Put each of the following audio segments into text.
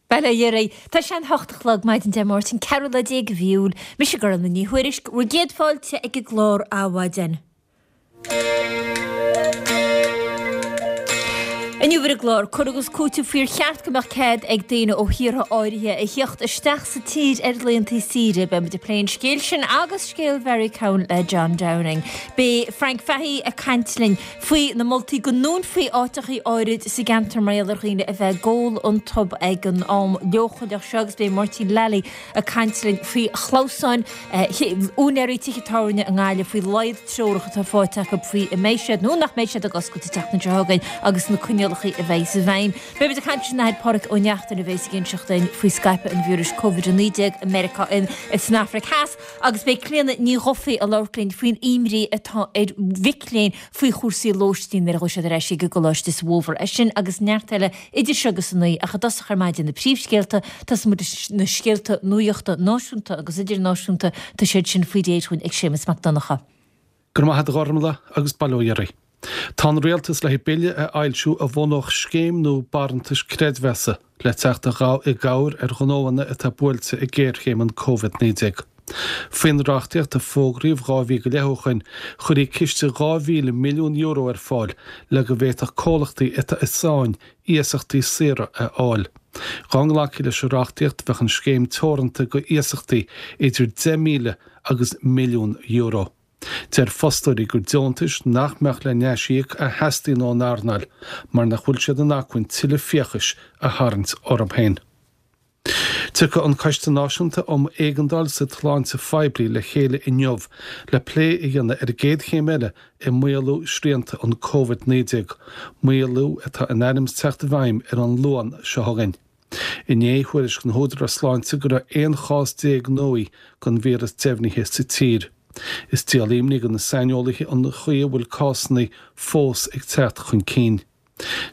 Bail ó Dhia oraibh. Tá sé an hocht a chlog maidin Dé Máirt an ceathrú lá déag de mhí Iúil. Mise Gormfhlaith Ní Thuairisg, bhur gcéad fáilte ag an gclár Adhmhaidin. Inniu ar an gclár, cur agus cúiteamh faoi ar cheart go mbeadh cead ag daoine ó thíortha áirithe a thíocht isteach sa tír ar laethanta saoire. Beidh muid ag plé an scéil sin agus scéal Mhary Cowen le John Downing. Beidh Frank Fahey ag caint linn faoi na moltaí go ndúnfaí áiteachaí áirid sa gceantar mar gheall ar dhaoine a bheith ag ól iontu ag an am leochaileach seo agus beidh Máirtín Lally ag caint linn faoi chlamhsáin úinéirí tithe tábhairne i nGaillimh faoi laghad treorach atá faighte acu faoi an mbeidh siad nó nach mbeidh siad ag oscailt an tseachtain seo chugainn agus na coinníollacha a bheidh i bhfeidhm. Beidh muid ag caint leis an Athair Pádraig Ó Neachtain a bheas ag inseacht dúinn faoi scaipeadh an víris Covid-19 i Meiriceá san Afraic Theas. Agus beidh Clíona Ní Dhufaigh ag labhairt linn faoin imní atá ar mhic léinn faoi chúrsaí lóistín nuair a ghabhfaidh siad ar ais ag an gcoláiste sa bhfómhar. É sin agus neart eile idir seo agus a naoi, ach i dtosach ar maidin na príomhscéalta, tosóidh muid leis na scéalta nuachta náisiúnta agus idirnáisiúnta, tá siad sin faoi réir dhúinn ag Séamus Mac Donncha. Go raibh maith agat a Ghormfhlaith agus bail ó Dhia oraibh. Tá an Rialtas le bille a fhoilsiú a bhunódh scéim nua barántais creidmheasa le teacht i gcabhair ar ghnóanna atá buailte ag géarchéim an Covid-19. Faoin reachtaíocht a fógraíodh 2 mhí go leith ó shoin, chuirfí ciste €2,000 milliún ar fáil le go bhféadfadh comhlachtaí atá i sáinn iasachtaí saora a fháil. Dá nglacfaí leis an reachtaíocht bheadh an scéim teoranta go iasachtaí idir 10,000 agus €1,000,000. Deir fostóirí gur deontais nach mbeadh le n-aisíoc a theastaíonn ón earnáil mar nach bhfuil siad in acmhainn tuilleadh fiachais a tharraingt orthu féin. Tiocfaidh an Coiste Náisiúnta um Éigeandáil sa tSláinte Phoiblí le chéile inniu le plé a dhéanamh ar an gcéad chéim eile i maolú srianta an Covid-19, maolú atá in ainm is teacht i bhfeidhm ar an Luan seo chugainn. Inné, thuairisc na húdaráis sláinte go raibh 11 chás nua den víreas deimhnithe sa tír. Is díol imní do na saineolaithe an chaoi a bhfuil cásanna fós ag teacht chun cinn.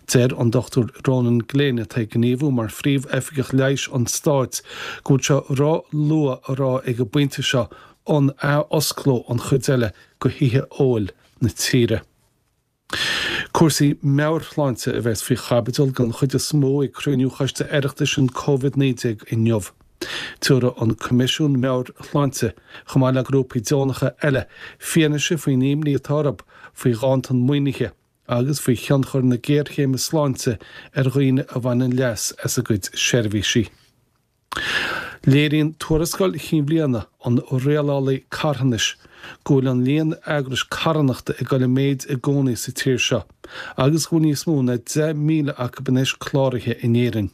Deir an Dr Ronan Glynn, atá ag gníomhú mar Phríomh-Oifigeach Leighis an Stáit, go bhfuil sé ró-luath a rá ag an bpointe seo an ath-osclódh an chuid eile de thithe óil na tíre. Cúrsaí meabhairshláinte a bheas faoi chaibidil den chuid is mó ag cruinniú Choiste Oireachtais an Covid-19 inniu. Tabharfaidh an Coimisiún Meabhair-Shláinte, chomh maith le grúpaí deonacha eile, fianaise faoin imní atá orthu faoi ghanntan maoinithe agus faoi thionchar na géarchéime sláinte ar dhaoine a bhaineann leas as a gcuid seirbhísí. Léiríonn tuarascáil chinn bhliana an Rialálaí Carthanais go bhfuil an líon eagrais carthanachta ag dul i méid i gcónaí sa tír seo agus go bhfuil níos mó ná 10,000 acu anois cláraithe in Éirinn.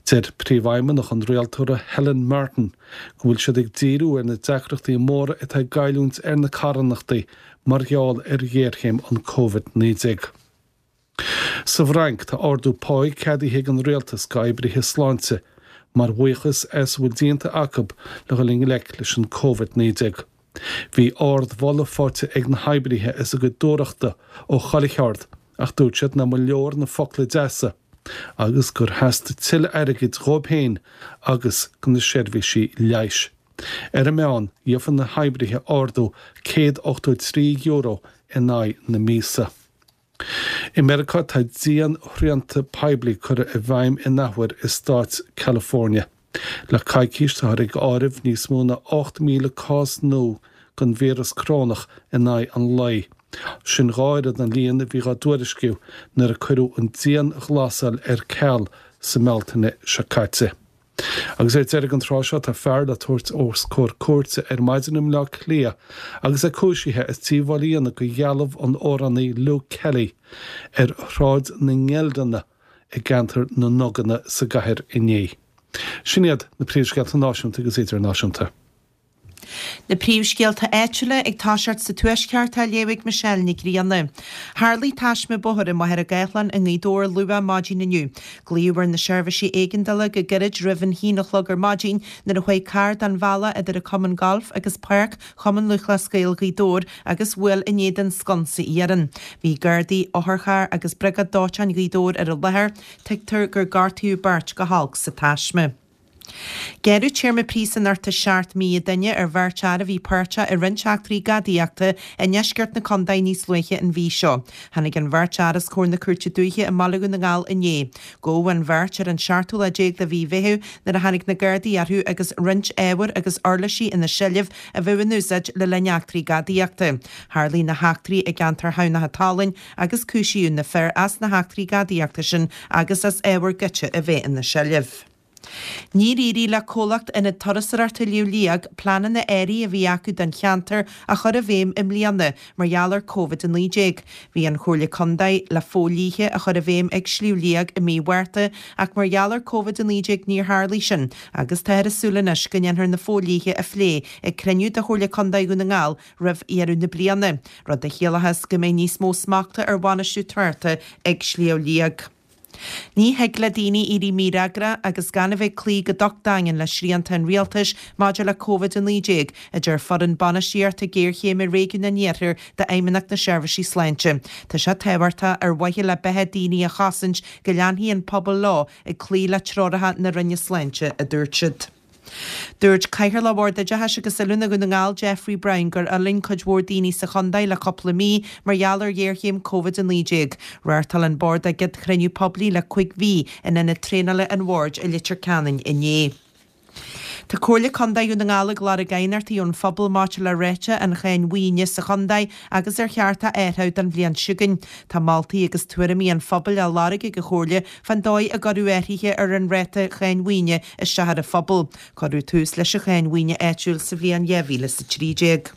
Deir Príomhfheidhmeannach an Rialtóra Helen Martin go bhfuil siad ag díriú ar na deacrachtaí móra atá ag goilliúint ar na carthanachtaí mar gheall ar ghéarchéim an Covid-19. Sa bhFrainc, tá ardú páí ceadaithe ag an rialtas d'oibrithe sláinte mar bhuíochas as a bhfuil déanta acu le dhul i ngleic leis an Covid-19. Bhí ardmholadh faighte ag na hoibrithe as a gcuid dúthrachta ó chuile cheard ach dúirt siad nach mba leor na focla deasa agus gur theastaigh tuilleadh airgid dhóibh féin agus do na seirbhísí leighis. Ar an meán, gheobhaidh na hoibrithe ardú €183 in aghaidh na míosa. I Meiriceá tá dianshrianta poiblí curtha i bhfeidhm in athuair i stát California. Le coicís táthar ag áireamh níos mó ná 8,000 cás nua den víreas corónach in aghaidh an lae. Sin dhá oiread an líon a bhí á dtuairisciú nuair a cuireadh an dianghlasáil ar ceal sa mBealtaine seo caite. Agus ar deireadh an tráth seo tá fear le tabhairt os comhair cúirte ar maidin i mBleá Cliath agus é cúisithe as díobháil a dhéanamh do dhealbh an amhránaí Luke Kelly ar Shráid na nGeildeanna i gceantar na nDuganna sa gcathair inné. Sin iad na príomhscéalta náisiúnta agus idirnáisiúnta. Na príomhscéalta áitiúla ag toiseacht sa Tuaisceart á léamh ag Michelle Nic Grianna. Tharlaigh taisme bóthair i Machaire Gathlán i nGaoth Dobhair luath maidin inniu. Glaodh ar na seirbhísí éigeandála go gairid roimh an haon a chlog ar maidin nuair a chuaigh carr den bhealach idir an Cumann Gailf agus Páirc Chumann Lúthchleas Gael Ghaoth Dobhair agus bhuail in éadan sconsa iarainn. Bhí Gardaí, otharcharr agus Briogáid Dóiteáin Ghaoth Dobhair ar an láthair. Tuigtear gur gortaíodh beirt go holc sa taisme. Gearradh téarma príosúnachta 7 mí an duine ar bheirt fhear a bhí páirteach i roinnt eachtraí gadaíochta i ndeisceart na contae níos luaithe an mhí seo. Tháinig an bheirt fhear os comhair na Cúirte Dúiche i mBaile Dhún na nGall inné. Gabhadh an bheirt ar an seachtú lá déag de mhí Mheithimh nuair a tháinig na Gardaí orthu agus roinnt ábhar agus uirlisí ina seilbh a bheadh in úsáid le linn eachtraí gadaíochta. Tharlaigh na heachtraí i gceantar Thamhnach an tSalainn agus cúisíodh na fir as na heachtraí gadaíochta sin agus as ábhar goidte a bheith ina seilbh. Níor éirigh le comhlacht Ionad Turasóireachta Shliabh Liag pleananna áirithe a bhí acu don cheantar a chur i bhfeidhm i mbliana mar gheall ar Covid-19. Bhí an Chomhairle Contae le fodhlíthe a chur i bhfeidhm ag Sliabh Liag i mí Mhárta ach mar gheall ar Covid-19 níor tharlaigh sin agus táthar ag súil anois go ndéanfar na fodhlíthe a phlé ag cruinniú de Chomhairle Contae Dhún na nGall roimh dheireadh na bliana, rud a chiallóchas go mbeidh níos mó smachta ar bhainistiú tráchta ag Sliabh Liag. Ní thig le daoine éirí mífhreagrach agus gan a bheith ag cloí go docht daingean le srianta an rialtais maidir le Covid-19, a deir foireann bainistíochta géarchéime Réigiún an Iarthair d'Fheidhmeannacht na Seirbhísí Sláinte. Tá sé tábhachtach ar mhaithe le beatha daoine a chosaint go leanfaidh an pobal leo ag cloí le treoracha na Roinne Sláinte, a dúirt siad. Dúirt Cathaoirleach Bhord Oideachais agus Oiliúna Dhún na nGall, Geoffrey Brown, gur fhulaing cuid mhór daoine sa chontae le cúpla mí mar gheall ar ghéarchéim Covid-19. Reáchtáil an Bord a gcéad chruinniú poiblí le 5 mhí in ionad traenála an Bhoird i Leitir Ceanainn inné. Tá Comhairle Contae Dhún na nGall ag lorg aighneachtaí ón phobal maidir le ráta an cháin mhaoine sa chontae agus ar cheart a athrú don bhliain seo chugainn. Tá moltaí agus tuairimí an phobail á lorg ag an Chomhairle fán dóigh a gcuirfeadh athruithe ar an ráta cháin mhaoine isteach ar an phobal. Cuireadh tús leis an cháin mhaoine áitiúil sa bhliain 2013.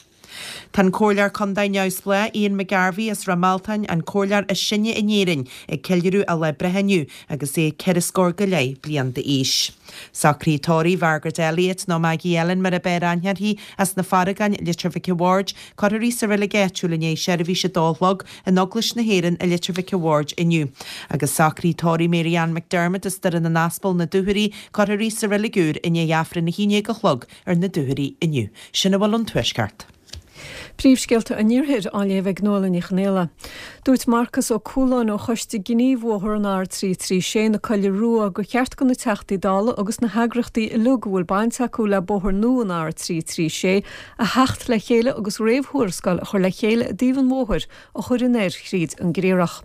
Tá an Comhairleoir Contae neamhspleách Ian McGarvey as Ráth Mealtain, an comhairleoir is sine in Éirinn, ag ceiliúradh a lá breithe inniu agus é ceithre scór go leith bliain d'aois. Socruithe tórraimh Mhargaret Elliott, nó Maggie Ellen mar ab fhearr aithne uirthi, as na Farragáin, Leitir Mhic a' Bhaird, cuirfear í sa reilig áitiúil i ndiaidh seirbhís a dó a chlog in Eaglais na hÉireann i Leitir Mhic a' Bhaird inniu. Agus socruithe tórraimh Mary Ann McDermott as Doire na nAspal, Na Dúchoraidh, cuirfear í sa reilig úr i ndiaidh Aifreann 11 a chlog ar na Dúchoraidh inniu. Sin a bhfuil ón Tuaisceart. Príomhscéalta an Iarthair á léamh ag Nuala Ní Chonghaile. Dúirt Marcas Ó Cualáin ó Choiste Gnímh Bhóthar an R336 na Coille Rua gur cheart do na Teachtaí Dála agus na heagraíochtaí uilig a bhfuil baint acu le bóthar nua an R336 a theacht le chéile agus réamhthuarascáil a chur le chéile i dtaobh an bhóthair a chur in air thríd an gCriathrach.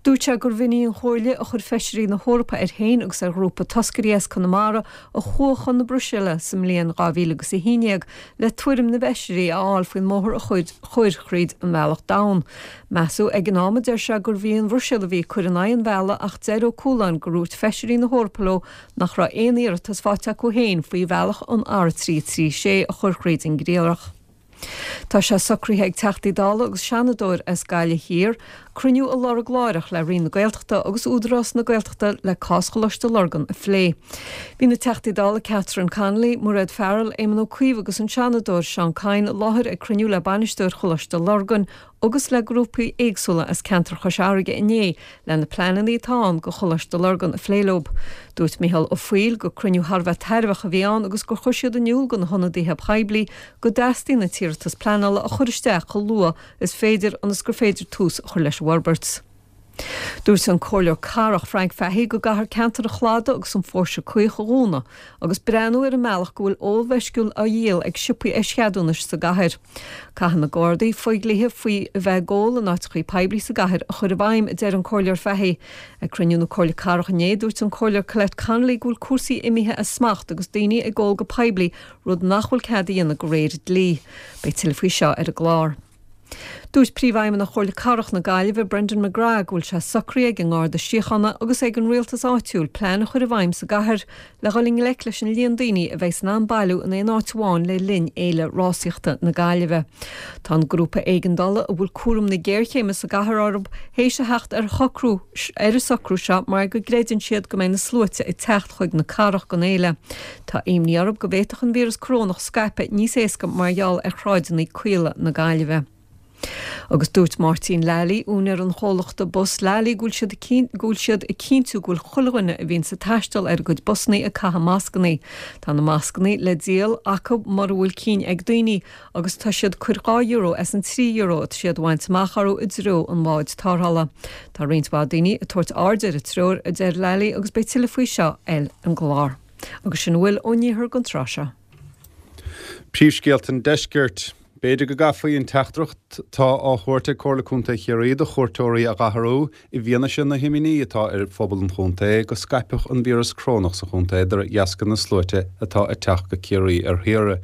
Dúirt sé gurbh in í an chomhairle a chuir Feisirí na hEorpa air féin agus ar ghrúpa toscairí as Conamara a chuaigh chun na Bruiséile sa mbliain 2011 le tuairim na bhFeisirí a fháil faoin mbóthar a chur thríd an mBealach Donn. Measadh ag an am, a deir sé, gurbh í an Bhruiséil a bhí ag cur in aghaidh an bhealaigh ach deir Ó Cualáin gur dhúirt Feisirí na hEorpa leo nach raibh aon iarratas faighte acu féin faoi bhealach an R336 a chur thríd an gCriathrach. Tá sé socraithe ag Teachtaí Dála agus Seanadóir as Gaillimh Thiar cruinniú a lorg láithreach le Roinn na Gaeltachta agus Údarás na Gaeltachta le cás Choláiste Lurgan a phlé. Bhí na Teachtaí Dála Catherine Connolly, Mairéad Farrell, Éamon Ó Cuív agus an Seanadóir Seán Kyne i láthair ag cruinniú le bainisteoir Choláiste Lurgan agus le grúpaí éagsúla as ceantar Chois Fharraige inné le na pleananna atá ann do Choláiste Lurgan a phlé leo. Dúirt Micheál Ó Foighil gur cruinniú thar a bheith tairbheach a bhí ann agus gur chuir siad in iúl do na hionadaithe poiblí go dteastaíonn an t-iarratas pleanála a chur isteach chomh luath is féidir ionas gur féidir tús a chur leis an bhforbairt. Dúirt an Comhairleoir Cathrach Frank Fahey go gcaithfear ceantar an Chladaigh agus an Phóirse Caoch a dhúnadh agus breathnú ar an mbealach go bhfuil ól mheisciúil á dhíol ag siopaí eischeadúnais sa gcathair. Caithfidh na Gardaí fodhlíthe faoi a bheith ag ól in áiteachaí poiblí sa gcathair a chur i bhfeidhm, a deir an Comhairleoir Fahey. Ag cruinniú na Comhairle Cathrach inné, dúirt an Comhairleoir Colette Connolly go bhfuil cúrsaí imithe as smacht agus daoine ag ól go poiblí, rud nach bhfuil cead a dhéanamh de réir dlí. Beidh tuilleadh faoi seo ar an gclár. Dúirt Príomhfheidhmeannach Chomhairle Cathrach na Gaillimhe, Brendan McGrath, go bhfuil sé socraithe ag an nGarda Síochána agus ag an rialtas áitiúil plean a chur i bhfeidhm sa gcathair le dhul i ngleic leis an líon daoine a bheidh in ann bailiú in aon áit amháin le linn Fhéile Rásaíochta na Gaillimhe. Tá an grúpa éigeandála a bhfuil cúram na géarchéime sa gcathair orthu théis a theacht ar shocrú ar an socrú seo mar go gcreideann siad go mbeidh na sluaite ag teacht chuig na cathrach don fhéile. Tá imní orthu go bhféadfadh an víreas corónach scaipeadh níos éasca mar gheall ar shráideanna caola na Gaillimhe. Agus dúirt Máirtín Lally, úinéir an chomhlachta bus Lally, go bhfuil siad go bhfuil siad ag cinntiú go bhfuil chuile dhuine a bhíonns ag taisteal ar a gcuid busannaí ag caitheamh mascannaí. Tá na mascannaí le díol acu mura bhfuil cinn ag daoine agus tá siad ag cur €2 as an €3 atá siad a bhaint amach orthu i dtreo an bháid tarrthála. Tá roinnt mhaith daoine ag tabhairt aird ar an treoir, a deir Lally, agus beidh tuilleadh faoi seo ar an gclár. Agus sin a bhfuil ón iarthar don tráth seo. Príomhscéalta an Deiscirt. B'fhéidir go gcaithfí an teachtaireacht atá á thabhairt ag Comhairle Contae Chiarraí do chuairteoirí a dh'athrú i bhfianaise na himní atá ar phobal an chontae go scaipfeadh an víreas corónach sa chontae de dheasca na sluaite atá ag teacht go Ciarraí ar shaoire.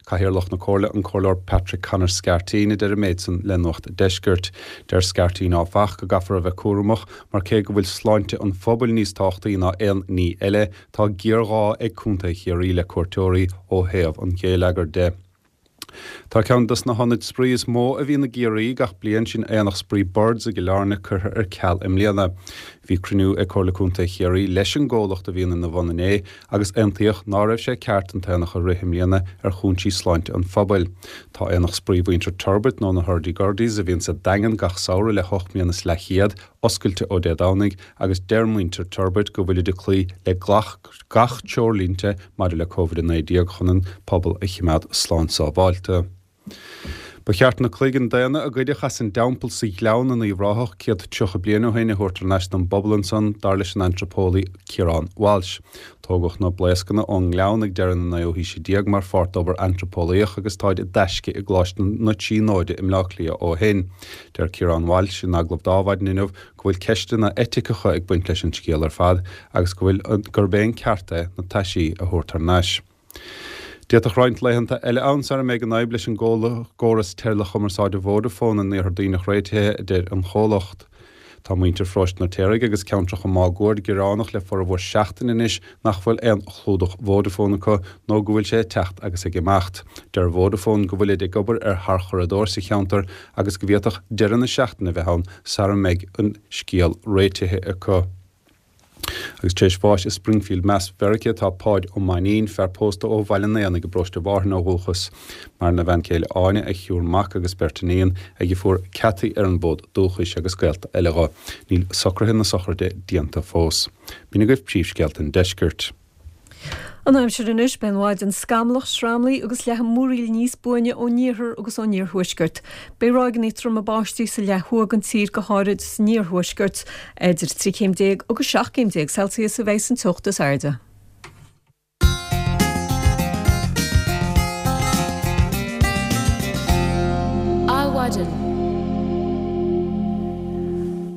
Cathaoirleach na Comhairle, an Comhairleoir Patrick Conor Scarteen a deir an méid san le Nuacht an Deiscirt. Deir Scarteen áfach go gcaithfear a bheith cúramach mar cé go bhfuil sláinte an phobail níos tábhachtaí ná aon ní eile, tá géarghá ag Contae Chiarraí le cuairteoirí ó thaobh an gheilleagair de. Tá ceann dos na hionaid spraoi is mó a bhíonn i gCiarraí gach bliain, sin Aonach Spraoi Birds i gCill Airne, curtha ar ceal i mbliana. Bhí cruinniú ag Comhairle Contae Chiarraí leis an gcomhlacht a bhíonn ina bhun inné agus aontaíodh ná raibh sé ceart an t-aonach a rith i mbliana ar chúinsí sláinte an phobail. Tá Aonach Spraoi Mhuintir Turbitt nó na Hurdy Gurdies a bhíonn sa Daingean gach samhradh le hocht mbliana is leathchéad, oscailte ó Dé Domhnaigh agus deir muintir Turbitt go bhfuilid ag cloí le gach treoirlínte maidir le Covid-19 chun an pobal a chimeád slán sábháilte. Ba cheart na cloigeann daonna a goideadh as an dteampall sa Ghleann in Uíbh Ráthach 130 bliain ó shin a thabhairt thar n-ais don bpobal ansan, dar leis an antraipeolaí Ciarán Walsh. Tógadh na blaoscanna ón nGleann ag deireadh na naoú haoise déag mar pháirt d'obair antraipeolaíoch agus táid i dtaisce i gColáiste na Tríonóide i mBleá Cliath ó shin. Deir Ciarán Walsh in agallamh d'Adhmhaidin inniu go bhfuil ceisteanna eiticeacha ag baint leis an scéal ar fad agus go bhfuil gurb é an ceart é na taisí a thabhairt thar n-ais. D'fhéadfadh roinnt laethanta eile ann sara mbeidh an fhadhb leis an gcóras teileachumarsáide Vodafone in Iarthar Duibhneach réitithe, a deir an chomhlacht. Tá muintir Pharóiste an Fheirtéaraigh agus ceantracha máguaird gearánach le formhór seachtaine anois nach bhfuil aon chlúdach Vodafone acu nó go bhfuil sé ag teacht agus ag imeacht. Deir Vodafone go bhfuilid ag obair ar tharchuradóir sa cheantar agus go bhféadfadh deireadh na seachtaine a bheith ann sara mbeidh an scéal réitithe acu. Agus tar éis bháis i Springfield Mass Mheiriceá atá Páid Ó Mainnín, fear pósta ó Bhaile an Éanaigh i bparóiste Mhárthain ó dhúchas. Maireann a bhean chéile Áine, a thriúr mac agus beirt iníon, ag a fuair Cathy ar an bhfód dúchais agus gaolta eile dho. Níl socruithe na sochraide déanta fós. B'in agaibh príomhscéalta an deiscirt. An aimsir anois, beidh an mhaidin scamallach, sramlaí agus leathadh múraíl níos buaine ón iarthar agus ón iarthuaisceart. Beidh ráigeanna troma báistí sa leath thuaidh den tír, go háirid san iarthuaisceart. Idir 13 chéim agus 17 céim Celsius a bheidh san teocht is airde. Adhmhaidin.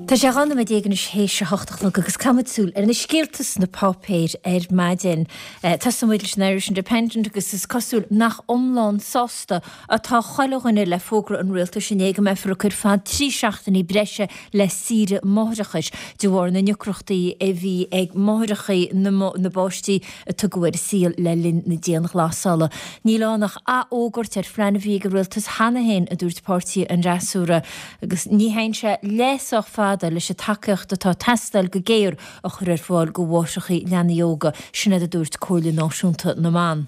Tá sé 12 nóiméad anois théis a hocht a chlog agus caithfimid súil ar na scéalta sna páipéir ar maidin. Tosóidh muid leis an Irish Independent agus is cosúil nach iomlán sásta atá chuile dhuine le fógra an rialtais inné go mbeifear ag cur fad 3 seachtainí breise le saoire máithreachais de bharr na ndeacrachtaí a bhí ag máithreacha na bpáistí a tugadh ar an saol le linn na dianghlasála. Níl ann ach athfhógairt ar phlean a bhí ag an rialtas cheana féin, a dúirt páirtí an fhreasúra, agus ní théann sé leath sách fada leis an tacaíocht atá ag teastáil go géar a chur ar fáil do mháithreacha leanaí óga, sin iad a dúirt Comhairle Náisiúnta na mBan.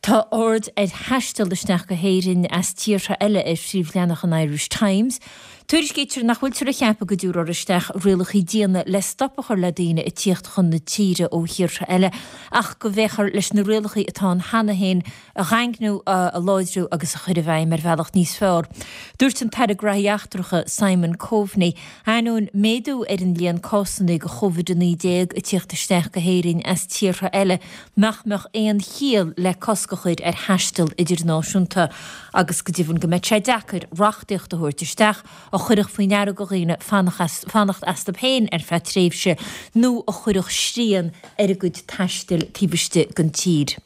Tá aird ar thaisteal isteach go hÉirinn as tíortha eile ar phríomhleathanach an Irish Times. Tuairiscítear nach bhfuiltear ag ceapadh go dtabharfar isteach rialacha diana le stop a chur le daoine ag tíocht chun na tíre ó thíortha eile ach go bhféachfar leis na rialacha atá ann cheana féin a dhaingniú, a láidriú agus a chur i bhfeidhm ar bhealach níos fearr. Dúirt an tAire Graithí Eachtracha Simon Coveney, ainneoin méadú ar an líon cásanna de Covid-19 ag tíocht isteach go hÉirinn as tíortha eile, nach mbeadh aon chiall le cosc a chur ar thaisteal idirnáisiúnta agus go deimhin go mbeadh sé deacair reachtaíocht a thabhairt isteach a chuirfeadh faoi ndeara do dhaoine fanacht astu féin ar feadh tréimhse nó a chuirfeadh srian ar a gcuid taistil taobh istigh den tír.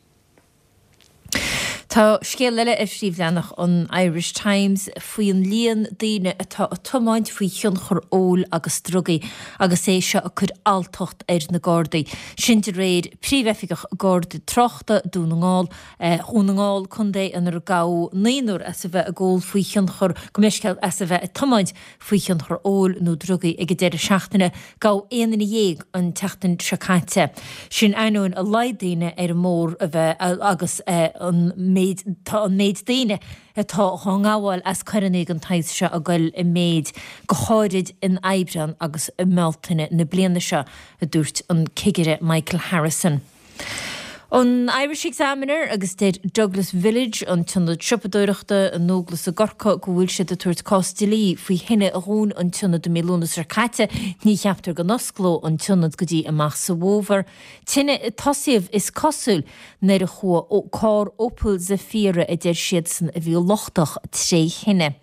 Tá scéal eile ar phríomhleathanach an Irish Times faoin líon daoine atá ag tiomáint faoi thionchar óil agus drugaí agus é seo ag cur alltacht ar na Gardaí. Sin de réir Príomhoifigeach Garda Tráchta Dún na nGall, Dhún na nGall, contae inar gabhadh naonúr as a bheith ag ól faoi thionchar, gabh mo leithscéal, as a bheith ag tiomáint faoi thionchar óil nó drugaí ag an deireadh seachtaine. Gabhadh aon duine dhéag an tseachtain seo caite. Sin ainneoin a laghad daoine ar an mbóthar a bheith agus an méid tá an méid daoine atá dhá ngabháil as coireanna den tsaghas seo ag goil i méid, go háirid in Aibreán agus i mBealtaine na bliana seo, a dúirt an Cigire Michael Harrison. An Irish Examiner agus deir Douglas Village, an t-ionad siopadóireachta i nDúglas i gCorcaigh, go bhfuil siad ag tabhairt cás dlí faoi thine a dhún an t-ionad i mí Lúnasa seo caite. Ní cheaptar go n-osclóidh an t-ionad go dtí amach sa bhfómhar. Tine a tosaíodh, is cosúil, nuair a chuaigh carr Opel Zafira a deir siadsan a bhí lochtach tré thine.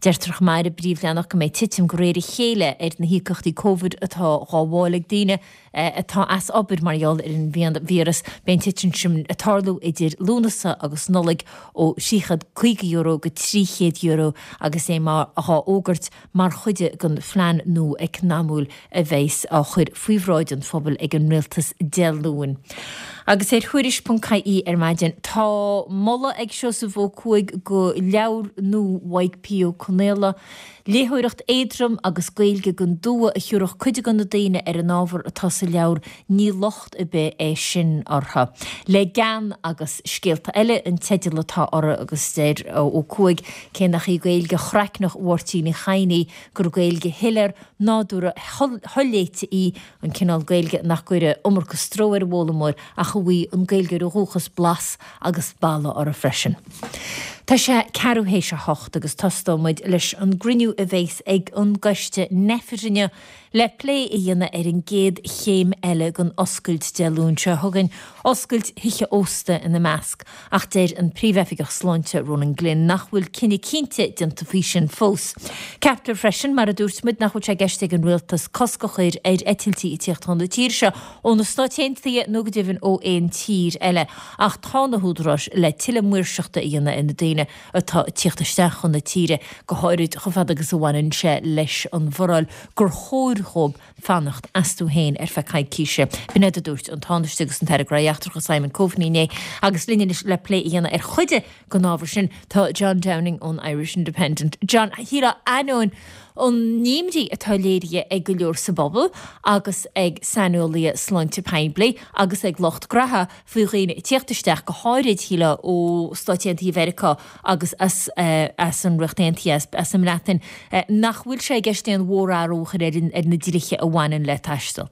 Deirtear chomh maith ar an bpríomhleathanach go mbeidh titim de réir a chéile ar na híocaíochtaí Covid atá dhá bhfáil ag daoine atá as obair mar gheall ar an víreas. Beidh an titim sin ag tarlú idir Lúnasa agus Nollaig ó €350 go €300 agus é mar dhá fhógairt mar chuid den phlean nua eacnamúil a bheas á chur faoi bhráid an phobail ag an Rialtas Dé Luain. Agus ar Thuairisc.ie ar maidin, tá moladh ag Seosamh Ó Cuaig do leabhar nua Mhaidhc P. Ó Conaola, Léitheoireacht éadrom agus Gaeilge den dua a thiúrfadh cuid de na daoine ar an ábhar atá sa leabhar, ní locht ar bith é sin orthu. Le Gean agus Scéalta Eile an teideal atá orthu agus deir Ó Cuaig, cé nach í Gaeilge chraicneach Mháirtín Uí Chadhain í, gur Gaeilge shoiléir, nádúrtha, sholéite í, an cineál Gaeilge nach gcuirfidh iomarca stró ar an bhfoghlaimeoir ach a bhfaighidh an Gaeilgeoir ó dhúchas blas agus boladh orthu freisin. Tá sé ceathrú théis a hocht agus tosóidh muid leis an gcruinniú a bheas ag an gcoiste Nphet inniu le plé a dhéanamh ar an gcéad chéim eile den oscailt Dé Luain seo chugainn, oscailt thithe ósta ina measc. Ach deir an Príomhoifigeach Sláinte Ronan Glynn nach bhfuil cinneadh cinnte déanta faoi sin fós. Ceaptar freisin, mar a dúirt muid, nach bhfuil sé i gceist ag an Rialtas cosc a chur ar eitiltí ag tíocht chun na tíre seo ó na Stáit Aontaithe nó go deimhin ó aon tír eile. Ach tá na húdaráis le tuilleadh maoirseachta a dhéanamh ar na daoine atá ag tíocht isteach chun na tíre, go háirid chomh fada agus a bhaineann sé leis an bhforáil gur chóir dhóibh fanacht astu féin ar feadh coicíse. B'in iad a dúirt an Tánaiste agus an tAire Gnóthaí Eachtracha Simon Coveney inné agus linn anois le plé a dhéanamh ar chuid den ábhar sin tá John Downing ón Irish Independent. John, shílfeá ainneoin an imní atá léirithe ag go leor sa bpobal agus ag saineolaithe sláinte poiblí agus ag lucht graithe faoi dhaoine ag tíocht isteach, go háirid, shílfeá, ó Stáit Aontaithe Mheiriceá agus as as an Ríocht Aontaithe, as an mBreatain, nach bhfuil sé i gceist aon mhórathrú a chur ar ar na dlíthe a bhaineann le taisteal.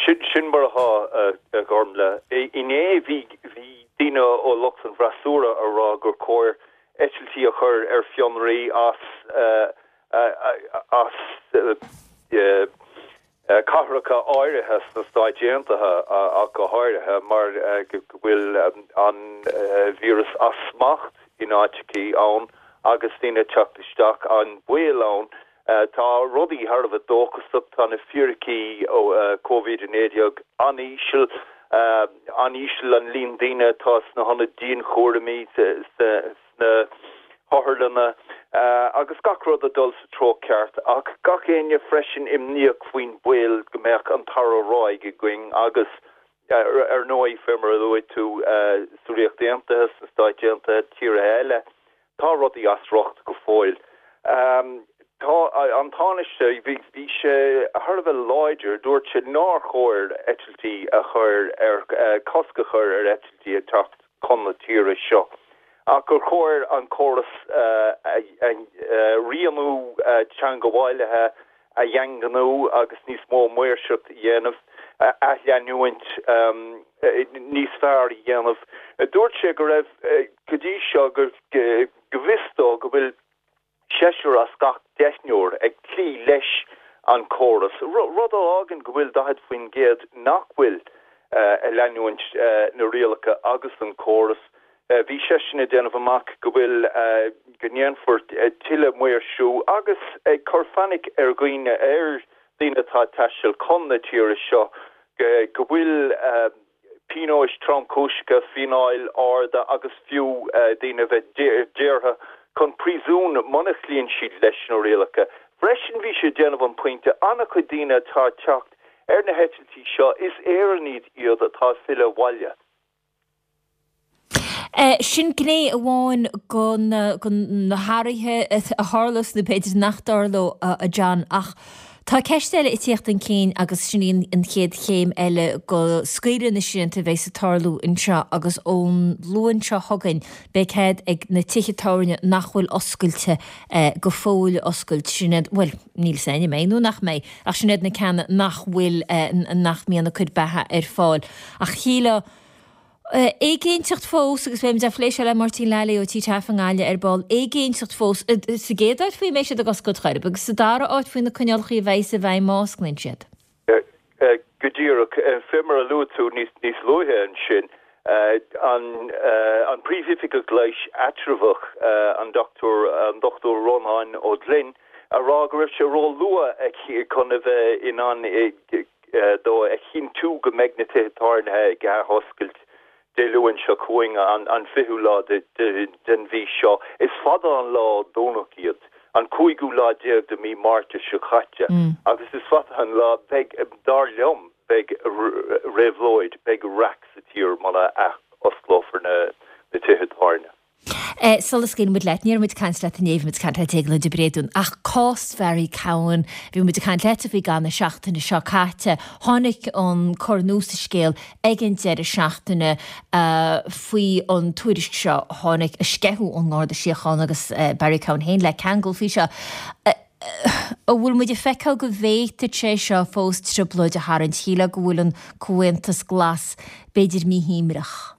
Sin sin mar atá, a Ghormfhlaith. Inné bhí bhí daoine ó lucht an bhfreasúra a rá gur chóir eitiltí a chur ar fionraí as as cathracha áirithe sna Stáit Aontaithe ach go háirithe, mar go bhfuil an víreas as smacht in áiteachaí ann agus daoine ag teacht isteach, an baol ann. Tá rudaí thar a bheith dóchasach, tá na fíricí ó Covid-19 an-íseal, an-íseal an líon daoine atá sna hionaid dianchúraimí, sna hotharlanna agus gach rud ag dul sa treo ceart ach gach éinne freisin imníoch faoin baol go mbeadh an dara ráig againn agus ar ndóigh fé mar a luaigh tú sa Ríocht Aontaithe, sna Stáit Aontaithe, tíortha eile, tá rudaí as riocht go fóill. Tá an Tánaiste, bhí sé thar a bheith láidir, dúirt sé nár chóir eitiltí a chur ar, cosc a chur ar eitiltí ag teacht chun na tíre seo ach gur chóir an córas rianú teagmhálaithe a dhaingniú agus níos mó maoirseacht a dhéanamh, athleanúint níos fearr a dhéanamh. Dúirt sé go raibh, go dtí seo, go bhfios dó go bhfuil seisear as gach deichniúr ag cloí leis an chóras, rud a fhágann go bhfuil 40% nach bhfuil ag leanúint na rialacha agus an córas. Bhí seisean ag déanamh amach go bhfuil, go ndéanfar tuilleadh maoirsiú agus ag cur fainic ar dhaoine, ar dhaoine atá ag taisteal chun na tíre seo, go bhfuil pionóis tromchúiseacha, fíneáil arda agus fiú daoine a bheith daortha chun príosúin muna chloíonn siad leis na rialacha. Freisin bhí sé ag déanamh an pointe, an-chuid daoine atá ag teacht ar na heitiltí seo, is Éireannaigh iad atá ag filleadh abhaile. Sin gné amháin de na hathruithe a tharlós nó b'fhéidir nach dtarlódh, a John, ach tá ceist eile ag tíocht chun cinn agus sin í an chéad chéim eile go scaoileadh na srianta a bheas ag tarlú anseo agus ón Luan seo chugainn beidh cead ag na tithe tábhairne nach bhfuil oscailte go fóill oscailt. Sin iad, bhuel, níl 's a'inn an mbeidh nó nach mbeidh, ach sin iad na ceanna nach bhfuil, nach mbíonn ag cur beatha ar fáil. Ach shílfeá. Éiginnteacht fós, agus beidh muid á phlé seo le Máirtín Lally ó Tigh Taaffe i nGaillimh ar ball, éiginnteacht fós sa gcéad áit faoi an mbeidh siad ag oscailt chor ar bith agus sa dara áit faoi na coinníollacha a bheidh i bhfeidhm má osclaíonn siad. Go díreach. Fé mar a luaigh tú níos luaithe ansin, an Príomhoifigeach Leighis Eatramhach, an Dr Rónán Ó Gloinn, a rá go raibh sé ró-luath chun a bheith in ann dó a chinntiú go mbeidh na tithe tábhairne ag athoscailt Dé Luain seo chugainn, an 20ú lá den mhí seo. Is fada an lá ó Domhnach iad, an cúigiú lá déag de mhí Márta seo caite, agus is fada an lá, beidh, dar liom, beidh réabhlóid, beidh raic sa tír muna athosclófar na tithe tábhairne. Sula scaoileann muid leat, ní raibh muid ag caint leat inné, bhí muid ag caint le Déaglán de Bréadún, ach cás Bharry Cowen, bhí muid ag caint leat faoi i gcaitheamh na seachtaine seo caite, tháinig an cor nua sa scéal ag an deireadh seachtaine faoi an tuairisc seo, tháinig a sceitheadh ón nGarda Síochána agus Barry Cowen féin le ceangal faoi seo. An bhfuil muid ag feiceáil go bhféadfadh sé seo fós trioblóid a tharraingt? Shílfeá go bhfuil an Comhaontas Glas b'fhéidir míshuaimhneach.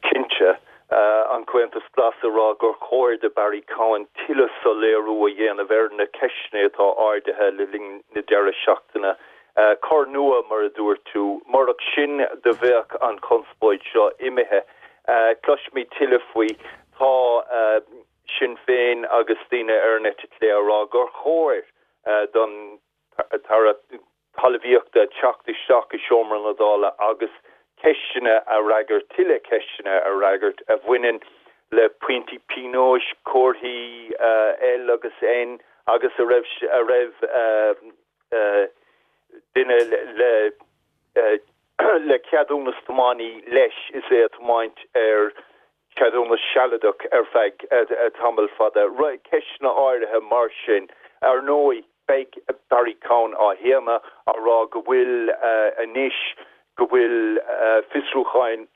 Cinnte. An Comhaontas Glas ag rá gur chóir do Barry Cowen tuilleadh soiléiriú a dhéanamh ar na ceisteanna atá ardaithe le linn na deireadh seachtaine. Cor nua, mar a dúirt tú. Murach sin do bheadh an chonspóid seo imithe. Cloisfimid tuilleadh faoi. Tá. Sinn Féin agus daoine ar an eite chlé á rá gur chóir don tAire Talmhaíochta teacht isteach i seomra na Dála agus ceisteanna a fhreagairt, tuilleadh ceisteanna a fhreagairt a bhaineann le pointí pionóis, comharthaí L agus N agus a raibh a raibh duine le le ceadúnas tiománaí leis is é ag tiomáint ar ceadúnas sealadach ar feadh tamall fada. Ceisteanna áirithe mar sin. Ar ndóigh, beidh Barry Cowen á shéanadh, á rá go bhfuil anois, go bhfuil fiosrúcháin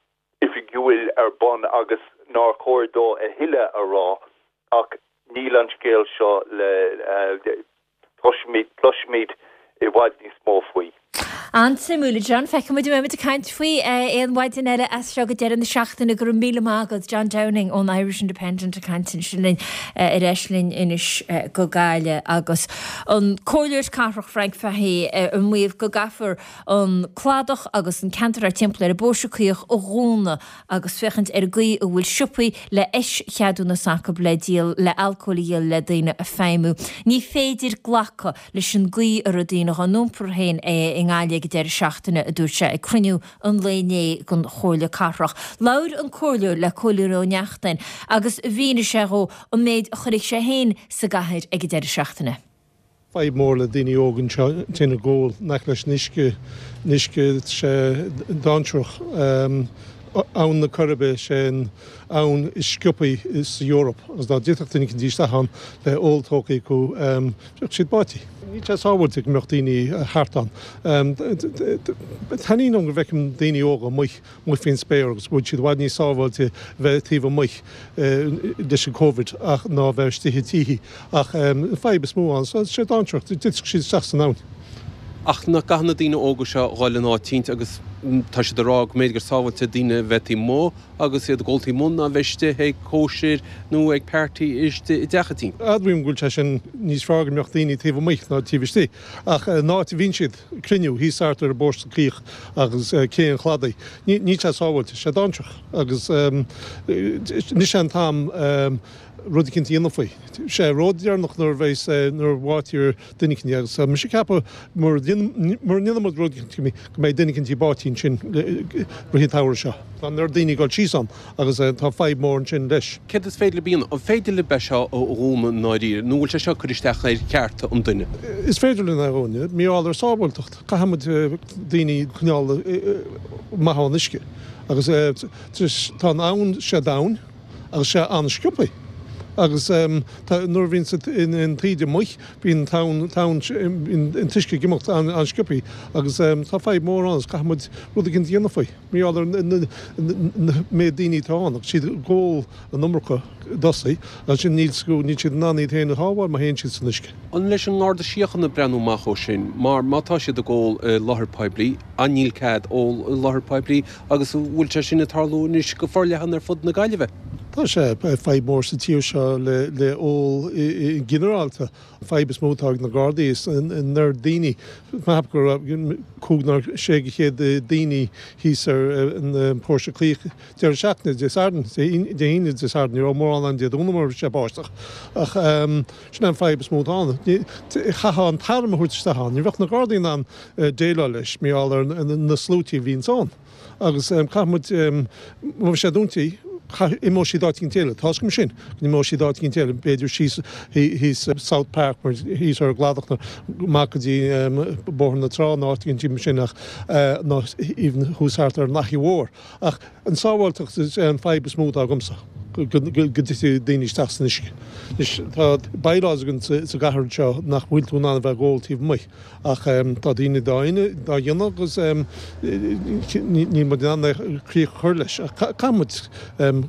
oifigiúil ar bun agus nár chóir dó a thuilleadh a rá ach níl an scéal seo le Cloisfimid i bhfad níos mó faoi. An-suimiúil, a John. Feicfidh muid an mbeidh muid ag caint faoi aon mhaidin eile as seo go deireadh na seachtaine. Go raibh míle maith agat, John Downing ón Irish Independent ag caint ansin linn ar ais linn anois go Gaillimh agus an Comhairleoir Cathrach Frank Fahey ag maíomh go gcaithfear an cladach agus an ceantar thart timpeall ar an bPóirse Caoch a dhúnadh agus féachaint ar an gcaoi a bhfuil siopaí le eischeadúnas acu le díol le alcól a dhíol le daoine ag feidhmiú. Ní féidir glacadh leis an gcaoi a raibh daoine dhá n-iompar féin i nGaillimh ag an deireadh seachtaine, a dúirt sé ag cruinniú an lae inné den Chomhairle Cathrach. Labhair an Comhairleoir le Cóilín Ó Neachtain agus mhínigh sé dhó an méid a chonaic sé féin sa gcathair ag an deireadh seachtaine. Fadhb mór le daoine óga anseo tinn ag ól in aice leis an uisce, an uisce tá sé dainséarach. Abhainn na Coiribe, sé an abhainn is sciobthaí sa Eoraip agus dá dtitfeadh duine eicínt isteach ann le ól tógtha acu bheadh siad báite. Níl sé sábháilte go mbeadh daoine thart ann. Taitníonn liom go bhfeicim daoine óga amuigh. amuigh faoin spéir agus go bhfuil siad i bhfad níos sábháilte bheith taobh amuigh leis an Covid ach ná bheith istigh i dtithe. Ach an fadhb is mó ann, tá sé dainséarach, dtitfeadh siad isteach san abhainn. Ach nach gcaithfidh na daoine óga seo dhul in áit eicínt agus tá siad ag rá go mb'fhéidir gur sábháilte daoine bheith taobh amuigh agus iad ag ól taobh amuigh ná bheith istigh ag cóisir nó ag party istigh i dteach eicínt. Admhaím go bhfuil sé sin níos fearr go mbeadh daoine taobh amuigh ná taobh istigh ach an áit a bhíonn siad, cruinniú thíos thart ar an bPóirse Caoch agus Cé an Chladaigh. Níl sé sábháilte, sé dainséarach agus anois é an t-am rud eicínt a dhéanamh faoi. Sé ródheireanach nuair a bheas, nuair a bháitear duine eicínt agus tá mise ag ceapadh mura ndéanann muid rud eicínt go mbeidh duine eicínt báite ansin rith an tsamhraidh seo. Tá an oiread daoine ag dul síos ann agus tá fadhb mór ansin leis. Céard is féidir libh a dhéanamh? An féidir libh é seo a dhúnadh i ndáiríre nó bhfuil sé seo ag cur isteach ar chearta an duine? Is féidir linn é a dhúnadh. Mar gheall ar sábháilteacht, caithfidh muid daoine a choinneáil amach ón uisce agus tá an abhainn sé domhain agus sé an-sciobtha. Agus tá, nuair a bhíonn an taoide amuigh, bíonn an tonn, bíonn an t-uisce ag imeacht an-sciobthaí agus tá fadhb mór ann agus caithfidh muid rud éigin a dhéanamh faoi. Mar gheall ar an méid daoine atá ann agus siad ag ól an iomarca dósaí agus ansin níl níl siad in ann iad féin a shábháil má théann siad san uisce. An leis an nGarda Síochána breathnú amach ó sin? Mar má tá siad ag ól i láthair poiblí, an níl cead ól i láthair poiblí agus an bhfuil sé sin ag tarlú anois go forleathan ar fud na Gaillimhe? Tá sé fadhb mór sa tír seo le ól i ginearálta. An fadhb is mó atá ag na Gardaí is an oiread daoine, ceapaim go raibh cúig nó sé go chéad daoine thíos ar an Póirse Claíoch deireadh seachtaine, Dé Sathairn, Dé hAoine, Dé Sathairn, ní raibh mórán ann Dé Domhnaigh mar bhí sé báisteach. Ach sin é an fadhb is mó atá ann. Chaithfeá an t-arm a thabhairt isteach ann. Ní bheadh na Gardaí in ann déileáil leis mar gheall ar na sluaití a bhíonns ann. Agus caithfidh muid, má bhí sé dúnta, imeoidh siad áit éicint eile. Tá's agam sin, go n-imeoidh siad áit éicint eile, b'fhéidir síos thíos South Park mar thíos ar an gcladach nó amach go dtí Bóthar na Trá nó áit éicint mar sin ach nó even thuas thart ar an Fhaiche Mhór. Ach an sábháilteacht is é an fadhb is mó atá agamsa, go dtitfidh daoine isteach san uisce. Anois tá bylaws againn sa gcathair anseo nach bhfuil tú in ann a bheith ag ól taobh amuigh. Ach tá daoine dá dhéanamh agus níl muid in ann críoch a chur leis. Ach caithfidh muid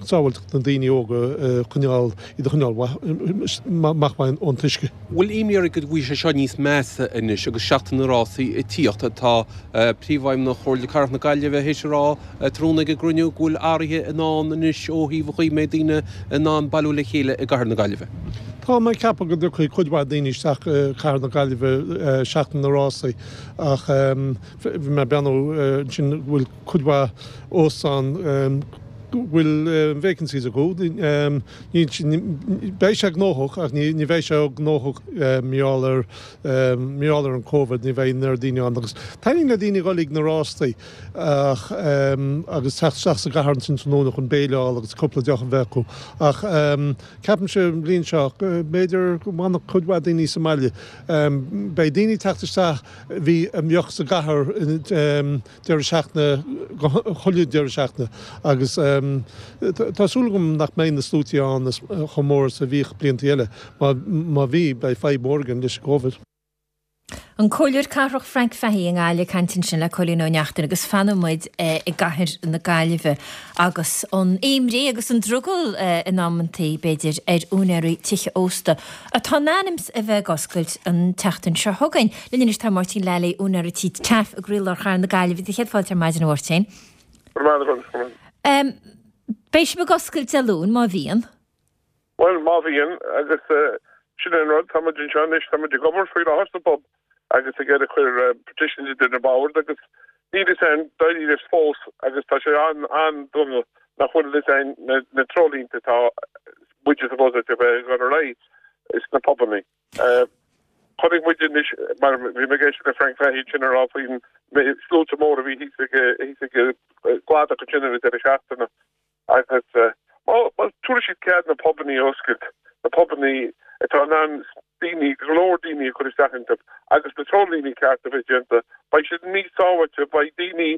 sábháilteacht na daoine óga a choinneáil, iad a choinneáil amach ón t-uisce. Bhfuil imní oraibh go bhfuil sé seo níos measa anois agus Seachtain na Rásaí ag tíocht? Tá Príomhfheidhmeannach Chomhairle Cathrach na Gaillimhe théis a rá tráthnóna ag an gcruinniú go bhfuil athruithe i ndán anois ó thaobh an chaoi a mbeidh daoine in ann bailiú le chéile i gcathair na Gaillimhe. Tá mé ag ceapadh go dtiocfaidh cuid mhaith daoine isteach i gcathair na Gaillimhe seachtain na rásaí ach bhí mé ag breathnú ansin go bhfuil cuid mhaith óstán go bhfuil vacancies acu. Beidh sé gnóthach ach ní bheidh sé gnóthach mar gheall ar mar gheall ar an Covid, ní bheidh an oiread daoine ann agus taitníonn le daoine dhul ag na rástaí. Ach, agus teacht isteach sa gcathair ansin tráthnóna chun béile a fháil agus cúpla deoch a bheith acu. Ach ceapaimse an bhliain seo, b'fhéidir go bhfanfadh cuid mhaith daoine sa mbaile. Beidh daoine ag teacht isteach a bhí, a bheadh sa gcathair deireadh seachtaine, chuile deireadh seachtaine. Agus tá súil agam nach mbeidh na sluaite ann chomh mór is a bhíodh blianta eile. Má bhí, beidh fadhb mhór againn leis an gCovid. An Comhairleoir Cathrach Frank Fahey i nGaillimh ag caint ansin le Cóilín Ó Neachtain agus fanfaidh muid i gcathair na Gaillimhe agus an imní agus an drogall in amantaí, b'fhéidir, ar úinéirí tithe ósta atá in ainm 's a bheith ag oscailt an tseachtain seo chugainn. Linn anois tá Máirtín Lally, úinéir an tí Taaffe i gcroílár chathair na Gaillimhe. Céad fáilte ar maidin a Mháirtín. Go raibh maith agat. Beidh sibh ag oscailt Dé Luain, má bhíonn. Bhuel, má bhíonn, agus sin é an rud, tá muid anseo anois, tá muid ag obair faoi láthair sa bpub agus ag iarraidh cur partitions idir na boird agus níl fhios a'inn dáiríre fós agus tá sé an-an-dona nach bhfuil fhios a'inn na treoirlínte atá muide supposed a bheith ag dul ar aghaidh sna pubannaí. Chonaic muid anois, mar bhí mé ag éisteacht le Frank Fahey ansin ag rá faoin sluaite mór a bhí thíos ag thíos ag an gcladach ansin ar an deireadh seachtaine. Agus má tabharfaidh siad cead na pubannaí a oscailt, na pubannaí atá in ann daoine, go leor daoine a chur isteach iontu agus na treoirlíní cearta a bheith déanta, beidh siad níos sábháilte, beidh daoine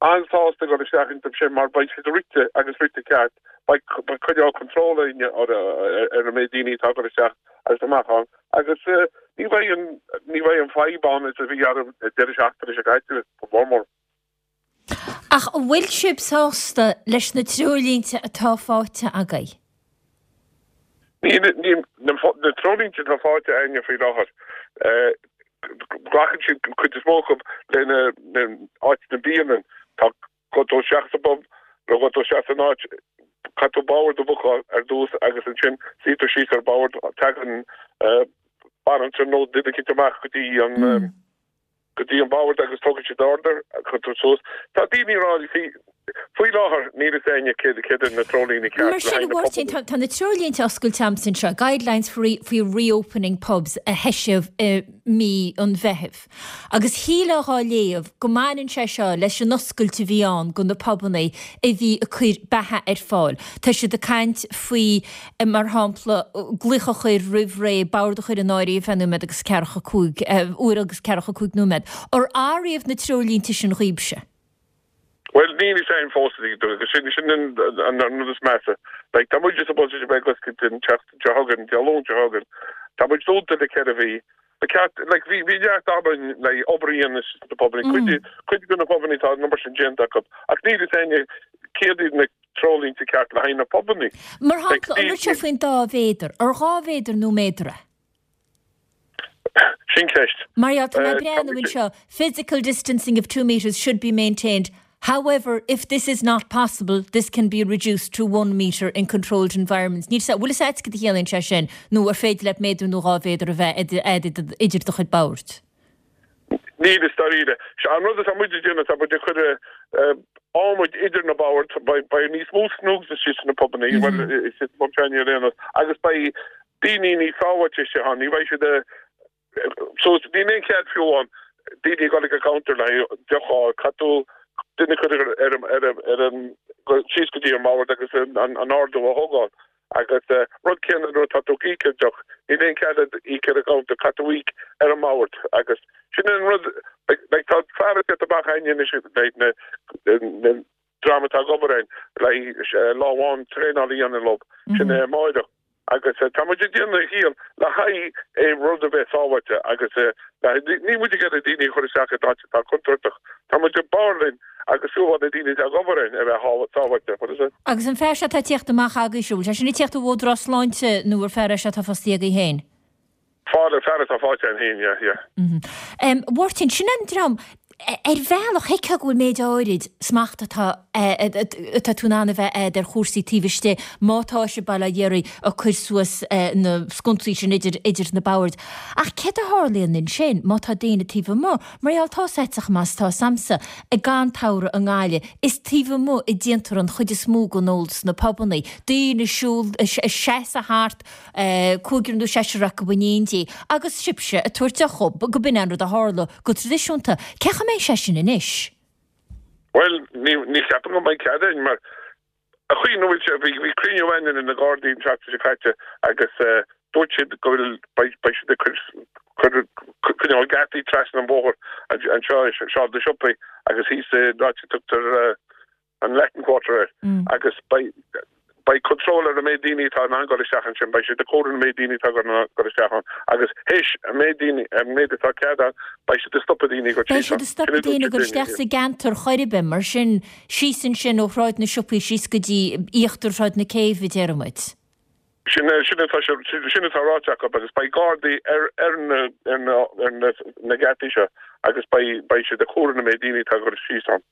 an-sásta dul isteach iontu sin mar beidh siad rite agus rite ceart, beidh coinneáil control againne ar an méid daoine atá ag dul isteach agus amach ann agus ní bheidh an, ní bheidh an fadhb ann is a bhí ar an deireadh seachtaine seo caite, go mór mór. Ach an bhfuil sibh sásta leis na treoirlínte atá faighte agaibh? Níl, níl, na treoirlínte atá faighte againne faoi láthair, glacann siad, an chuid is mó acu, le na áit na bialann. Tá, gabh tú isteach sa bpub, nó gabh tú isteach san áit, caithfidh tú bord a bhookáil ar dtús agus ansin suí tú síos ar bord, tagann banaltra nó duine eicínt amach go dtí an, go dtí an bord agus tógann siad order, cuirtear suas. Tá daoine ag rá, you see, faoi láthair níl fhios éinne céard céard iad na treoirlíní ceart Mar sin, a Mháirtín, tá tá na treoirlínte oscailte a'msa anseo, Guidelines for for reopening pubs a heisíodh i mí an Mheithimh. Agus shílfeá dhá léamh go mbaineann sé seo leis an oscailt a bhí ann go na pubannaí a bhí ag cur beatha ar fáil. Tá siad ag caint faoi mar shampla, glaoch a chur roimh ré, bord a chur in áirithe fé nóiméad agus ceathracha 5, uair agus ceathracha 5 nóiméad. Ar athraíodh na treoirlínte sin dhaoibhse? Bhuel, níl fhios a'inn fós, agus sin sin an rud is measa. Like, tá muid supposed to bheith ag oscailt an tseachtain seo chugainn, Dé Luain seo chugainn. Tá muid dúnta le 4 mhí. Ba cheart, like, bhí bhí neart ama againn le obair a dhéanamh sna pubannaí. Cuid cuid de na pubannaí tá an obair sin déanta acu, ach níl fhios a'inne céard iad na treoirlínte ceart le haghaidh na pubannaí. Mar shampla, an rud seo faoin dá mhéadar, ar 2 mhéadar nó méadar é? Sin ceist. Mar gheall, tá mé ag breathnú anseo, physical distancing of 2 metres should be maintained, however, if this is not possible, this can be reduced to 1 metre in controlled environments. Níl 's, bhfuil 'fhios a'd cad a chiallaíonn sé sin, nó ar féidir leat méadar nó 2 mhéadar a bheith idir do chuid boird? Níl 'fhios dáiríre. An rud atá muid ag déanamh, tá muid ag cur adhmaid idir na boird, beidh níos mó snogs istigh sna pubannaí, bhuel, istigh sa bpub s'againne ar aon nós, agus beidh daoine níos sábháilte istigh ann, ní bheidh siad so níl aon chead fiú amháin daoine ag dul ag an gcounter le haghaidh deoch a fháil, caithfidh tú duine a chur ar ar ar an síos go dtí an mbord agus an ordú a thógáil. Agus rud céanna nuair atá tú ag íoc ar deoch, níl aon chead a'd íoc ar an gcounter, caithfidh tú íoc ar an mbord agus sin an rud like tá fear ag teacht amach a'inne anois like na na dream atá ag obair a'inn le haghaidh lá amháin traenáil a dhéanamh leo, sin é amáireach. Agus tá muid ag déanamh a dhícheall le haghaidh é rud a bheith sábháilte agus níl muid ag iarraidh daoine a chur isteach in áit atá contúirteach. Tá muid ag b'fhearr linn agus fiú amháin na daoine atá ag obair a'inn a bheith sábháilte. What is it? Agus an fear seo atá ag tíocht amach agaibhse, bhfuil sé sin ag tíocht ó Údarás Sláinte nó ar fear é seo atá fostaithe agaibh féin? Fear, fear atá faighte a'inn féin, yeah, yeah. A Mháirtín, sin an dream, ar bhealach, thuigfeá go bhfuil méid áirid smachta atá, atá tú in ann a bheith a'd ar chúrsaí taobh istigh má tá sibh bail ó Dhia oraibh ag cur suas na sconsaí sin idir, idir na boird. Ach céard a tharlaíonn ansin má tá daoine taobh amuigh? Mar gheall, tá 's a'dsa chomh maith is tá 's a'msa, ag an tsamhradh i nGaillimh, is taobh amuigh a déantar an chuid is mó den ól sna pubannaí. Daoine ag siúl, ag seasamh thart, cúigear nó seisear acu in éindí, agus sibhse ag tabhairt deoch dhóibh, go b'in an rud a tharla go traidisiúnta. Cén chaoi a mbeidh sé sin anois? Bhuel, ní cheapaim go mbeidh cead againn, mar an chaoi ina bhfuil sé, bhí cruinniú againn le na Gardaí an tseachtain seo caite agus dúirt siad go bhfuil, beidh siad ag cur coinneáil geataí trasna an bhóthair anseo i Sráid na Siopaí agus thíos in áit a dtugtar an Latin Quarter air agus beidh beidh control ar an méid daoine atá in ann dul isteach ansin, beidh siad ag comhaireamh an méid daoine atá ag dul isteach ann agus théis an méid daoine, an méid atá cead ann, beidh siad ag stopadh daoine ag dul Beidh siad ag stopadh daoine ag dul isteach sa gceantar chor ar bith, mar sin, síos ansin ó Shráid na Siopaí síos go dtí íochtar Shráid na Céibhe, déarfaidh muid. Sin sin atá sin atá ráite acu agus beidh gardaí ar ar na ar na ar na na geataí seo agus beidh beidh siad ag comhaireamh an méid daoine atá ag dul síos ann.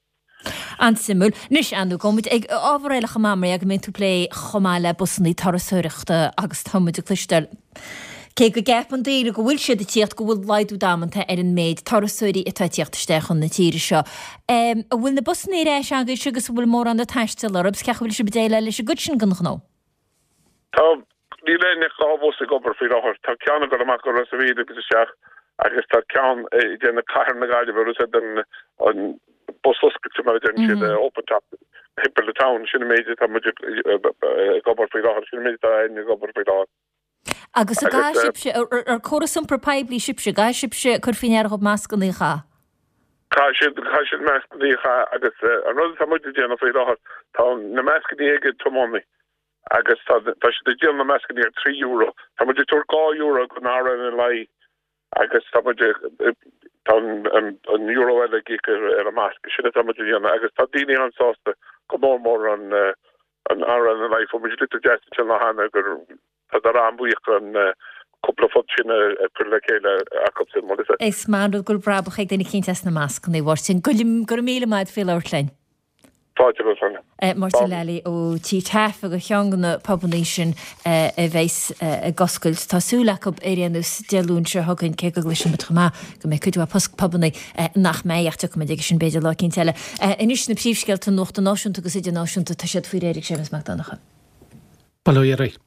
An-suimiúil. Anois, ar ndóigh, gabhfaidh muid ag ábhar eile chomh maith, mar go mbíonn tú ag plé chomh maith le busannaí turasóireachta agus tá muid ag cloisteáil, cé go gceapann daoine go bhfuil siad ag tíocht, go bhfuil laghdú damanta ar an méid turasóirí atá ag tíocht isteach chun na tíre seo. An bhfuil na busannaí ar ais agaibhse agus an bhfuil mórán ag taisteal orthu? Cén chaoi a bhfuil sibh ag déileáil leis an gcuid sin den ghnó? Tá, níl aon ach 2 bhus ag obair faoi láthair. Tá ceann ag dul amach go Ros a' Mhíl agus isteach agus tá ceann ag déanamh Cathair na Gaillimhe, rud é den an bus oscailte mar a deireann siad, open top, timpeall the town. Sin an méid atá muid ag obair faoi láthair, sin an méid atá againn ag obair faoi láthair. Agus an gcaithfidh sibhse, ar córas iompair poiblí sibhse, an gcaithfidh sibhse cur faoi ndeara dhóibh mascannaí a chaitheamh? Caithfidh siad, caithfidh siad mascannaí a chaitheamh agus an rud atá muid ag déanamh faoi láthair, tá na mascannaí ag an tiománaí agus tá, tá siad ag díol na mascannaí ar €3. Tá muid ag tabhairt €2 don RNLI agus tá muid ag, tá an, an euro eile ag íoc ar, ar an masc. Sin atá muid a dhéanamh agus tá daoine an-sásta go mór mór an, an RNLI. Fuair muid litir deas ansin lá cheana gur, tá siad an-bhuíoch an cúpla punt sin a chur le chéile acu sin, bhuel is ea. Is maith an rud go bhfuil brabach ag duine eicínt as na mascannaí, a Mháirtín. Go raibh míle maith agat faoi labhairt linn. Fáilte romhat, Sonia. Máirtín Lally ó Tigh Taaffe do cheann de na pubannaí sin a bheas ag oscailt. Tá súil acu ar aon nós Dé Luain seo chugainn, cé go gcloiseann muid chomh maith go mbeidh cuid mhaith pubannaí nach mbeidh ach tiocfaidh muid aige sin b'fhéidir lá eicínt eile. Anois na príomhscéalta nuachta náisiúnta agus idirnáisiúnta, tá siad faoi réir ag Séamus Mac Donncha. Bail ó Dhia oraibh.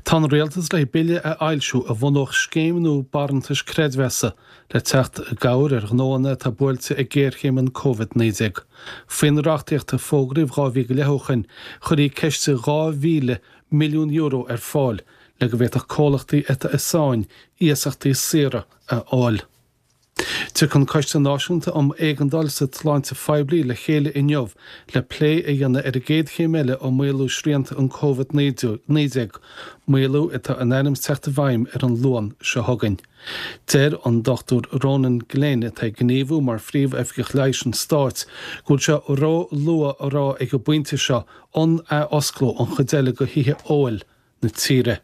Tá an Rialtas le bille a fhoilsiú a bhunódh scéim nó barántais creidmheasa le teacht i gcabhair ar ghnóanna atá buailte ag géarchéim an Covid-19. Faoin reachtaíocht a fógraíodh 2 mhí go leith ó shoin, chuirfí ciste €2,000 milliún ar fáil le go bhféadfadh comhlachtaí atá i sáinn iasachtaí saora a fháil. Tiocfaidh an Coiste Náisiúnta um Éigeandáil sa tSláinte Phoiblí le chéile inniu le plé a dhéanamh ar an gcéad chéim eile um maolú srianta an Covid-19, maolú atá in ainm is teacht i bhfeidhm ar an Luan seo chugainn. Deir an Dr Ronan Glynn, atá ag gníomhú mar Phríomh-Oifigeach Leighis an Stáit, go bhfuil sé ró-luath a rá ag an bpointe seo an athosclódh an chuid eile de thithe óil na tíre.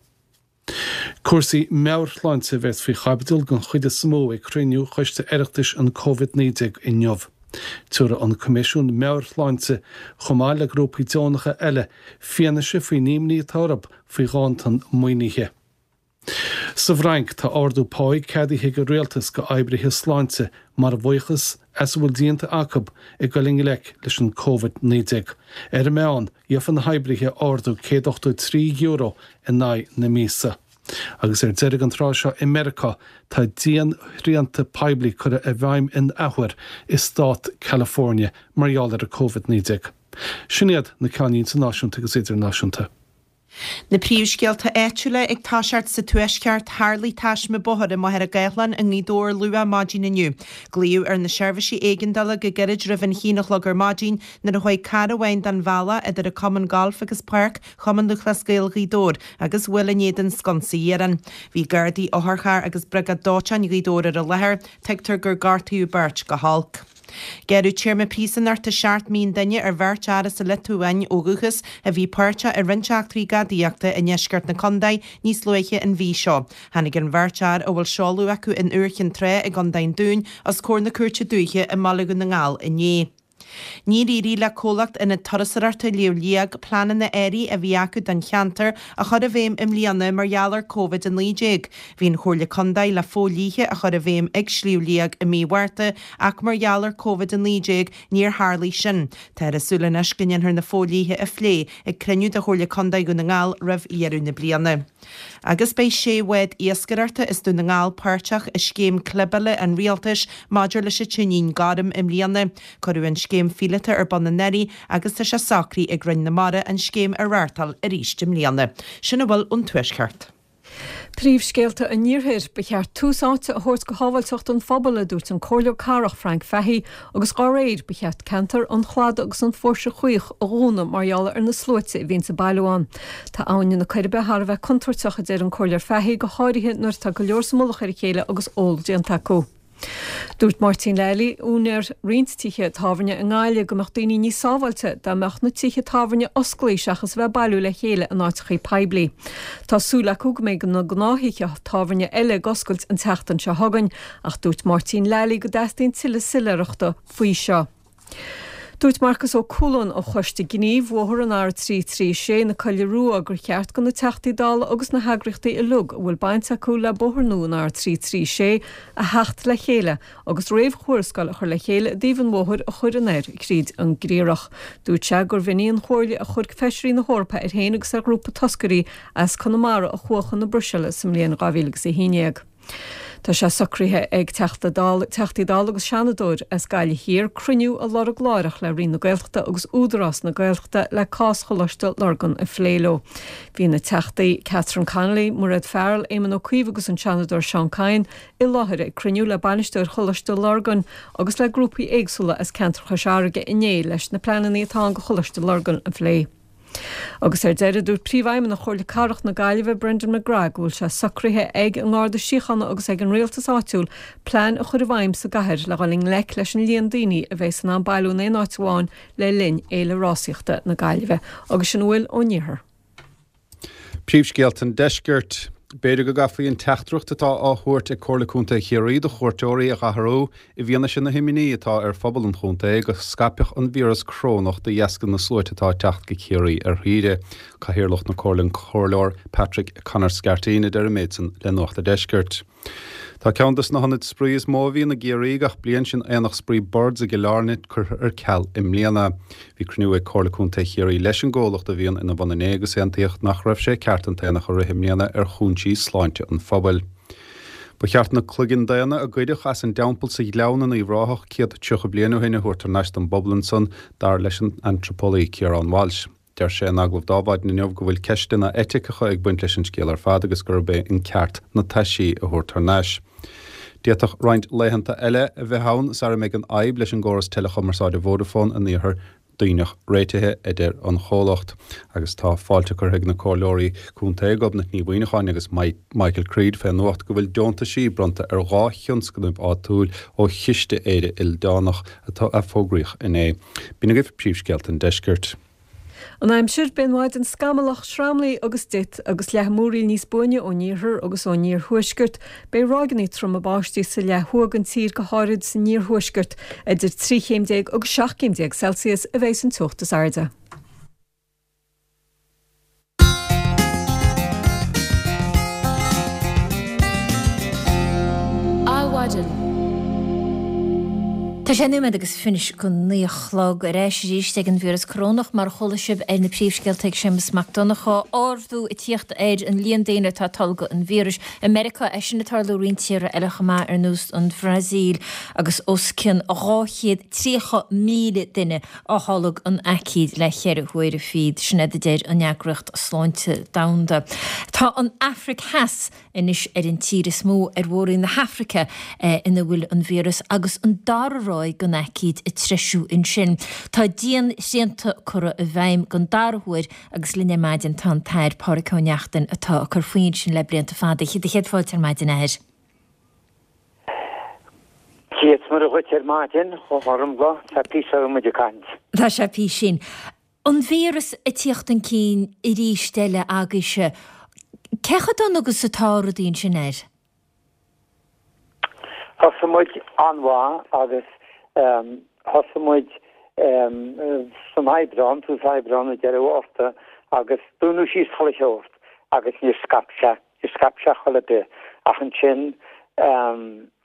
Cúrsaí meabhairshláinte a bheas faoi chaibidil den chuid is mó ag cruinniú Choiste Oireachtais an Covid-19 inniu. Tabharfaidh an Coimisiún Meabhair-Shláinte, chomh maith le grúpaí deonacha eile, fianaise faoin imní atá orthu faoi ghanntan maoinithe. Sa bhFrainc, tá ardú páí ceadaithe ag an rialtas go oibrithe sláinte mar bhuíochas as a bhfuil déanta acu ag dul i ngleic leis an Covid-19. Ar an meán, Gheofa na hoibrithe ardú €183 in aghaidh na míosa. Agus ar deireadh an tráth seo i Meiriceá tá dianshrianta poiblí curtha i bhfeidhm in athuair i stát California mar gheall ar an Covid-19. Sin iad na ceannlínte náisiúnta agus idirnáisiúnta. Na príomhscéalta áitiúla ag toiseacht sa Tuaisceart, Tharlaigh taisme bóthair i Machaire Gathlán i nGaoth Dobhair luath maidin inniu. Glaodh ar na seirbhísí éigeandála go gairid roimh an haon a chlog ar maidin nuair a chuaigh carr amháin den bhealach idir an Cumann Gailf agus Páirc Chumann Lúthchleas Gael Ghaoth Dobhair agus bhuail in éadan sconsa iarainn. Bhí Gardaí, otharcharr agus Briogáid Dóiteáin Ghaoth Dobhair ar an láthair. Tuigtear gur gortaíodh beirt go holc. Gearradh téarma príosúnachta 7 mí an duine ar bheirt fhear as an Liotuáin ó dhúchas a bhí páirteach i roinnt eachtraí gadaíochta i ndeisceart na contae níos luaithe an mhí seo. Tháinig an bheirt fhear, a bhfuil seoladh acu in Iúr Chinn Trá i gContae an Dúin, os comhair na Cúirte Dúiche i mBaile Dhún na nGall inné. Níor éirigh le comhlacht Ionad Turasóireachta Shliabh Liag pleananna áirithe a bhí acu don cheantar a chur i bhfeidhm i mbliana mar gheall ar Covid-19. Bhí an Chomhairle Contae le fodhlíthe a chur i bhfeidhm ag Sliabh Liag i mí Mhárta ach mar gheall ar Covid-19 níor tharlaigh sin. Táthar ag súil anois go ndéanfar na fodhlíthe a phlé ag cruinniú de Chomhairle Contae Dhún na nGall roimh dheireadh na bliana. Agus beidh sé bhád iascaireachta as Dún na nGall páirteach i scéim clibeála an Rialtais maidir leis an tuinnín gorm i mbliana. Cuireadh an scéim phíolóta ar bun anuraidh agus tá sé socraithe ag Roinn na Mara an scéim a reáchtáil arís i mbliana. Sin a bhfuil ón Tuaisceart. Príomhscéalta an Iarthair, Ba cheart tús áite a thabhairt go shábháilteacht an phobail, a dúirt an Comhairleoir Cathrach Frank Fahey, agus dá réir, ba cheart ceantar an Chladaigh agus an Phóirse Chaoich a dhúnadh mar gheall ar na sluaite a bhíonns ag bailiú ann. Tá Abhainn na Coiribe thar a bheith contúirteach, a deir an Comhairleoir Fahey, go háirithe nuair atá go leor sa mullach ar a chéile agus ól déanta acu. Dúirt Máirtín Lally, úinéir roinnt tithe tábhairne i nGaillimh, go mbeadh daoine níos sábháilte dá mbeadh na tithe tábhairne osclaí seachas a bheith ag bailiú le chéile in áiteachaí poiblí. Tá súil acu go mbeidh na gnáth-thithe tábhairne eile ag oscailt an tseachtain seo chugainn ach dúirt Máirtín Lally go dteastaíonn tuilleadh soiléireachta faoi seo. Dúirt Marcas Ó Cualáin ó Choiste Gnímh Bhóthar an R336 na Coille Rua gur cheart go na Teachtaí Dála agus na heagraíochtaí uilig a bhfuil baint acu le bóthar nua an R336 a theacht le chéile agus réamhthuarascáil a chur le chéile i dtaobh an bhóthair a chur anoir thríd an gCriathrach. Dúirt sé gurbh in í an chomhairle a chuir Feisirí na hEorpa air féin agus ar ghrúpa toscairí as Conamara a chuaigh chun na Bruiséile sa mbliain 2011. Tá sé socraithe ag Teachta Dála, Teachtaí Dála agus Seanadóir as Gaillimh Thiar cruinniú a lorg láithreach le Roinn na Gaeltachta agus Údarás na Gaeltachta le cás Choláiste Lurgan a phlé leo. Bhí na Teachtaí Catherine Connolly, Mairéad Farrell, Éamon Ó Cuív agus an Seanadóir Seán Kyne i láthair ag cruinniú le bainisteoir Choláiste Lurgan agus le grúpaí éagsúla as ceantar Chois Fharraige inné leis na pleananna atá ann do Choláiste Lurgan a phlé. Agus ar deireadh, dúirt Príomhfheidhmeannach Chomhairle Cathrach na Gaillimhe, Brendan McGrath, go bhfuil sé socraithe ag an nGarda Síochána agus ag an rialtas áitiúil plean a chur i bhfeidhm sa gcathair le dhul i ngleic leis an líon daoine a bheas in ann bailiú in aon áit amháin le linn Fhéile Rásaíochta na Gaillimhe. Agus sin a bhfuil ón iarthar. Príomhscéalta an Deiscirt. B'fhéidir go gcaithfí an teachtaireacht atá á thabhairt ag Comhairle Contae Chiarraí do chuairteoirí a dh'athrú i bhfianaise na himní atá ar phobal an chontae go scaipfeadh an víreas corónach de dheasca na sluaite atá ag teacht go Ciarraí ar shaoire. Cathaoirleach na Comhairle an Comhairleoir Patrick Conor Scarteen a deir an méid san le Nuacht a' Deiscirt. Tá ceann des na hionaid spraoi is mó a bhíonn i gCiarraí gach bliain, sin Aonach Spraoi Birds i gCill Airne, curtha ar ceal i mbliana. Bhí cruinniú ag Comhairle Contae Chiarraí leis an gcomhlacht a bhíonn ina bhun inné agus aontaíodh nach raibh sé ceart an t-aonach a rith i mbliana ar chúinsí sláinte an phobail. Ba cheart na cloiginn daonna a goideadh as an dteampall sa Ghleann in Uíbh Ráthach 130 bliain ó shin a thabhairt thar n-ais don bpobal ansan, dar leis an antraipeolaí Ciarán Walsh. Deir sé in agallamh d'Adhmhaidin inniu go bhfuil ceisteanna eiticeacha ag baint leis an scéal ar fad agus gurb é an ceart na taisí a thabhairt thar n-ais. D'fhéadfadh roinnt laethanta eile a bheith ann sara mbeidh an fhadhb leis an gcóras teileachumarsáide Vodafone in iarthar Duibhneach réitithe, a deir an chomhlacht. Agus tá fáilte curtha ag na Comhairleoirí Contae Gobnait Ní Mhuineacháin agus Michael Creed fén nuacht go bhfuil deontaisí bronnta ar 2 thionscnamh áitiúil ó Chiste Éire Ildánach atá a fógraíodh inné. B'in agaibh príomhscéalta an deiscirt. An aimsir, Beidh an mhaidin scamallach, sramlaí agus dit, agus leathadh múraíl níos buaine ón iarthar agus ón iarthuaisceart. Beidh ráigeanna troma báistí sa leath thuaidh den tír, go háirid san iarthuaisceart. Idir 13 chéim agus 17 céim Celsius a bheidh an teocht is airde. Adhmhaidin. Tá sé nóiméad agus fiche go naoi a chlog ar ais arís ag an víreas corónach mar a chuala sibh ar na príomhscéalta ag Séamus Mac Donncha. Ardú ag tíocht ar an líon daoine atá ag tolgadh an víris i Meiriceá, é sin ag tarlú i roinnt tíortha eile chomh maith ar nós an Bhrasaíl agus os cionn 230,000 duine á tholg an aicíd le cheithre huaire fichead, sin iad a deir an Eagraíocht Sláinte Domhanda. Tá an Afraic Theas anois ar an tír is mó ar mhór-roinn na hAfraice ina bhfuil an víreas agus an dara ráig den aicíd ag treisiú ansin. Tá dianshrianta curtha i bhfeidhm den dara huair agus linn ar maidin tá an tAire Pádraig Ó Neachtain atá ag cur faoi ansin le blianta fada. Do chéad fáilte ar maidin, a Aire. Céad mora dhuit ar maidin, a Ghormfhlaith, tá píosa ó muid ag caint. Tá sé písín. An víreas ag tíocht chun cinn arís eile agaibhse. Cé chomh dona agus atá rudaí ansin, a Aire? Thosaigh muid an-mhaith agus thosaigh muid san Aibreán, tús Aibreán nó deireadh Mhárta agus dúnadh síos chuile shórt agus níor scaip sé. Níor scaip sé chor ar bith ach ansin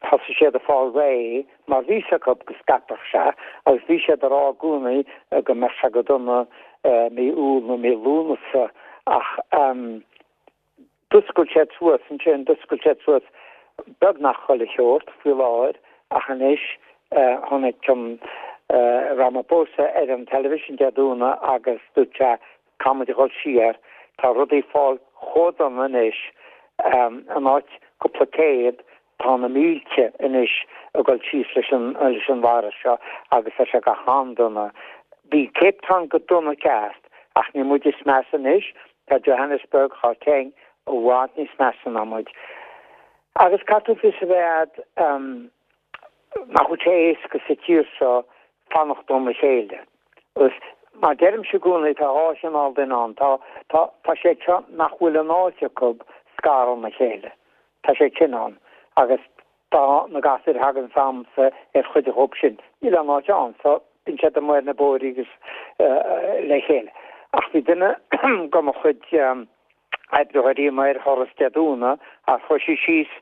thosaigh siad ag fáil réidh mar bhí 's acu go scaipfeadh sé agus bhí siad ag rá i gcónaí go mbeadh sé go dona mí Iúil nó mí Lúnasa ach d'oscail siad suas ansin, d'oscail siad suas beagnach chuile shórt faoi láthair ach anois chonaic an Ramaphosa ar an television Dé Domhnaigh agus dúirt sé Caithfidh muid a dhul siar, tá rudaí ag fáil chomh dona anois, in áit cúpla céad, tá na mílte anois ag dul síos leis an leis an virus seo agus tá sé go han-dona. Bhí Cape Town go dona ceart ach níl muid is measa anois, tá Johannesburg, Gauteng i bhfad níos measa ná muid. Agus caithfidh tú fios a bheith a'd, nach bhfuil sé éasca sa tír seo fanacht óna chéile. Agus mar deirimse i gcónaí tá dhá chineál duine ann. Tá, tá, tá siad seo nach bhfuil an áit acu scaradh óna chéile. Tá siad sin ann. Agus tá na gasúir a thagann s'agamsa ar chuid dhóibh sin. Níl aon áit ann so bíonn siad amuigh ar na bóithre agus le chéile. Ach bhí duine de mo chuid oibritheoirí amuigh ar thuras Dé Domhnaigh agus chuaigh sí síos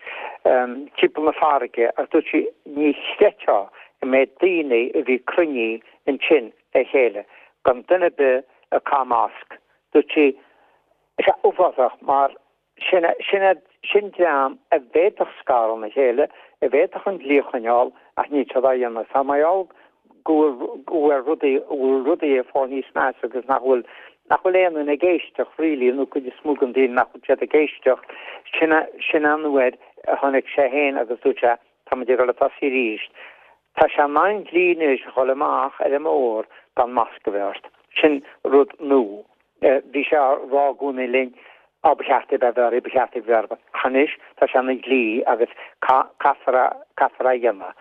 timpeall na farraige agus dúirt sí ní chreidfeá an méid daoine a bhí cruinnithe ansin le chéile gan duine ar bith ag caitheamh masc. Dúirt sí tá sé uafásach mar sin sin sin dream a bhféadfadh scaradh óna chéile, a bhféadfadh an dlí a choinneáil ach níl siad á dhéanamh. Tá mar gheall go bhfuil go bhfuil rudaí go bhfuil rudaí ag fáil níos measa agus nach bhfuil nach bhfuil aon duine ag éisteacht really nó cuid is mó den daoine nach bhfuil siad ag éisteacht sin sin an uair a tháinig sé féin agus dúirt sé tá muid ag dul ag tosaí arís. Tá sé ina dhlí anois a dhul amach ar an mbóthar gan masc a bheith ort. Sin rud nua. Bhí sé á rá i gcónaí linn, Á, ba cheart é bheith oraibh, ba cheart é bheith oraibh. Ach anois tá sé ina dhlí agus caithfear é, caithfear é a dhéanamh.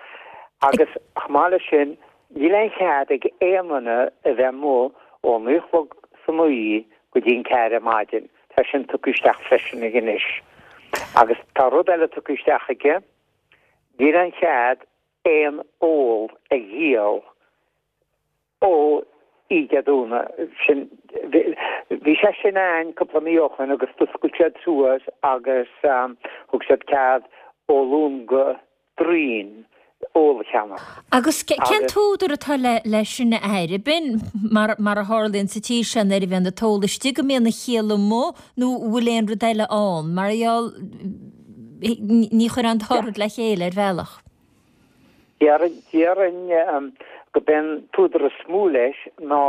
Agus chomh maith leis sin, níl aon chead ag aon duine a bheith amuigh ó naoi a chlog san oíche go dtí an ceathair ar maidin. Tá sin tugtha isteach freisin aige anois. Agus tá rud eile tugtha isteach aige, níl aon chead aon ól a dhíol ó oíche Dé Domhnaigh sin, bhí sé sin ann cúpla mí ó shoin agus d'oscail siad suas agus thug siad cead ó Luan go Déardaoin ól a cheannach. Agus cén t-údar atá leis sin a Aire? B'in mar a tharlaíonn sa tír seo nuair a bhíonn an t-ól istigh go mbíonn an chiall amuigh nó an bhfuil aon rud eile ann? Mar gheall ní chuirfeá an dá rud le chéile ar bhealach. Déarfainn go b'é an t-údar is mó leis ná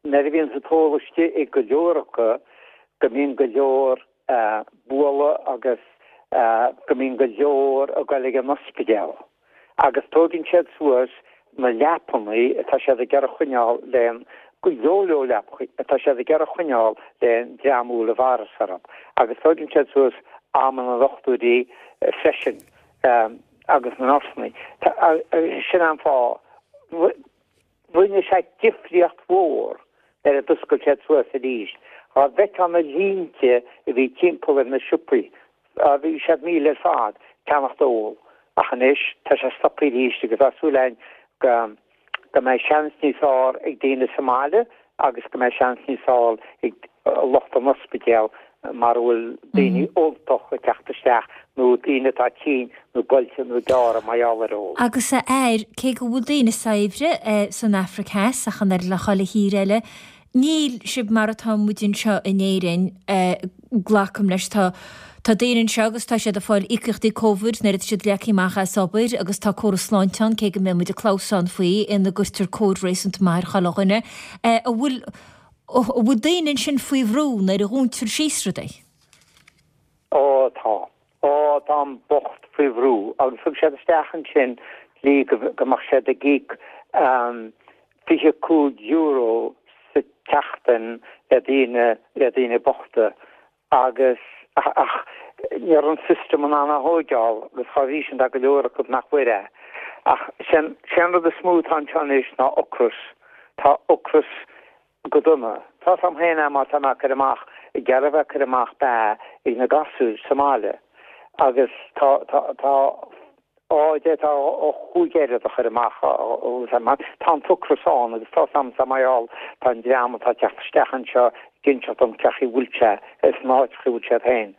nuair a bhíonn an t-ól istigh ag go leor acu go mbíonn go leor bualadh agus. go mbíonn go leor ag goil ag an ospidéal agus tóigeann siad suas na leapannaí atá siad ag iarraidh a choinneáil le go leor leor leapachaí atá siad ag iarraidh a choinneáil le an dream a bhfuil an virus orthu agus tóigeann siad suas am na ndochtúirí freisin agus na nursannaí. Sin an fáth. Rinne sé difríocht mhór nuair a d'oscail siad suas arís. Dhá bhfeicfeá na línte a bhí timpeall ar na siopaí, bhí siad míle ar fad, ceannacht ól. Ach anois tá sé stoptha arís agus tá súil againn go go mbeidh seans níos fearr ag daoine sa mbaile agus go mbeidh seans níos fearr ag lucht an ospidéal mar a bhfuil daoine óltach ag teacht isteach nó daoine atá tinn nó buailte nó gearrtha mar gheall ar ól. Agus a fhear, cé go bhfuil daoine saibhre san Afraic Theas ach an oiread le chuile thír eile, níl sibh mar atá muid anseo in Éirinn, glacaim leis. Tá tá daoine anseo agus tá siad ag fáil íocaíochtaí Covid nuair atá siad leagtha amach as obair agus tá córas sláinte ann, cé go mbeidh muid ag clamhsán faoi, ina gcuirtear cóir réasúnta maith ar chuile dhuine. An bhfuil An bhfuil daoine ansin faoi bhrú nuair a dhúntar síos rudaí? Ó tá. Ó tá an bocht faoi bhrú agus thug siad isteach ansin dlí go mbeadh siad ag íoc €25 sa tseachtain le daoine le daoine bochta agus ach ní raibh an system in ann a thóigeáil agus dá bhrí sin tá go leor acu nach bhfuair é. Ach sé an rud is mó atá anseo anois ná ocras. Tá ocras go dona. Tá's a'm féin é mar tá mé ag cur amach, ag iarraidh a bheith ag cur amach beatha ag na gasúir sa mbaile agus tá, tá, tá, Á, d'fhéadfá a chúig oiread a chur amach, tá an t-ocras ann agus tá's a'msa mar gheall tá an dream atá ag teacht isteach anseo ag inseacht dom cén chaoi a bhfuil sé sna háiteacha a bhfuil siad féin.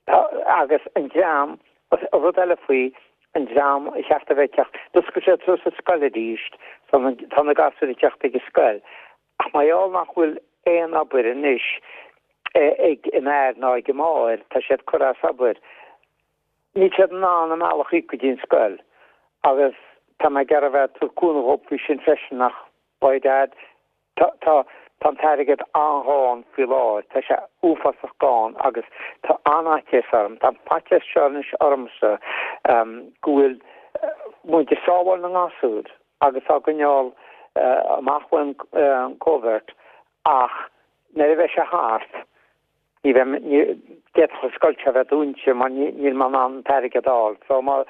Tá, agus an dream, rud eile faoi, an dream a cheart a bheith ag teacht, d'oscail siad suas an scoil arís, tá na gasúir ag teacht ag an scoil, ach mar gheall nach bhfuil aon obair anois ag an fhear ná ag an máthair, tá siad curtha as obair. Níl siad in ann a mbealach a íoc go dtí an scoil agus tá mé ag iarraidh a bheith ag tabhairt cúnamh dhób faoi sin freisin ach by dad tá tá tá an t-airgead an-ghann faoi láthair, tá sé uafásach gann agus tá an-fhaitíos orm, tá an faitíos seo anois ormsa go bhfuil muid ag sábháil na ngasúr agus á gcoinneáil amach ón Covid ach nuair a bheidh sé thart Ní bheidh, ní, d'fhéadfadh an scoil seo a bheith dúnta mar níl mé in ann an t-airgead a fháil. So má,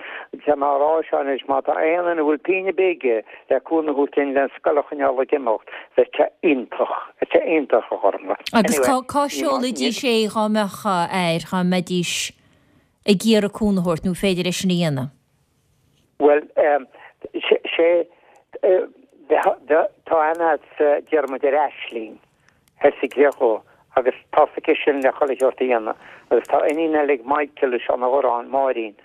tá mé á rá seo anois, má tá aon duine a bhfuil pingin ar bith aige le cúnamh a thabhairt dúinn le an scoil a choinneáil ag imeacht, bheadh sé iontach, bheadh sé iontach a Ghormfhlaith. Agus cá, cá seolfaidís é dhá mbeadh air, dhá mbeidís ag iarraidh cúnamh a thabhairt, nó féidir é sin a dhéanamh? Bhuel, sé, tá aithne agat Diarmuid ar Aisling. Thoir sa gCreachóg agus tá's aici sin le chuile sheort a dhéanamh agus tá iníon eile ag Michael i Seán Ó Dhorráin, Máirín,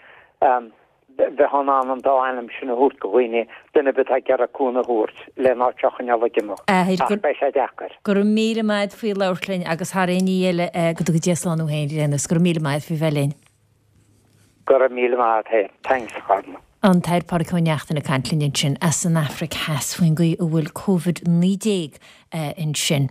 bheifeá in ann an dá ainm sin a thabhairt go dhaoine, duine ar bith atá ag iarraidh cúnamh a thabhairt le an áit seo a choinneáil ag imeacht. Ach beidh sé deacair. Go raibh míle maith a't faoi labhairt linn agus thar aon ní eile go dtuga Dia slán thú féin, Déanus. Go raibh míle maith a't faoi bheith linn. Go raibh míle maith a't féin. Thanks, a Ghormfhlaith. An tAire Pádraig Ó Neachtain ag caint linn ansin as an Afraic Theas faoin gcaoi a bhfuil Covid-19 ansin.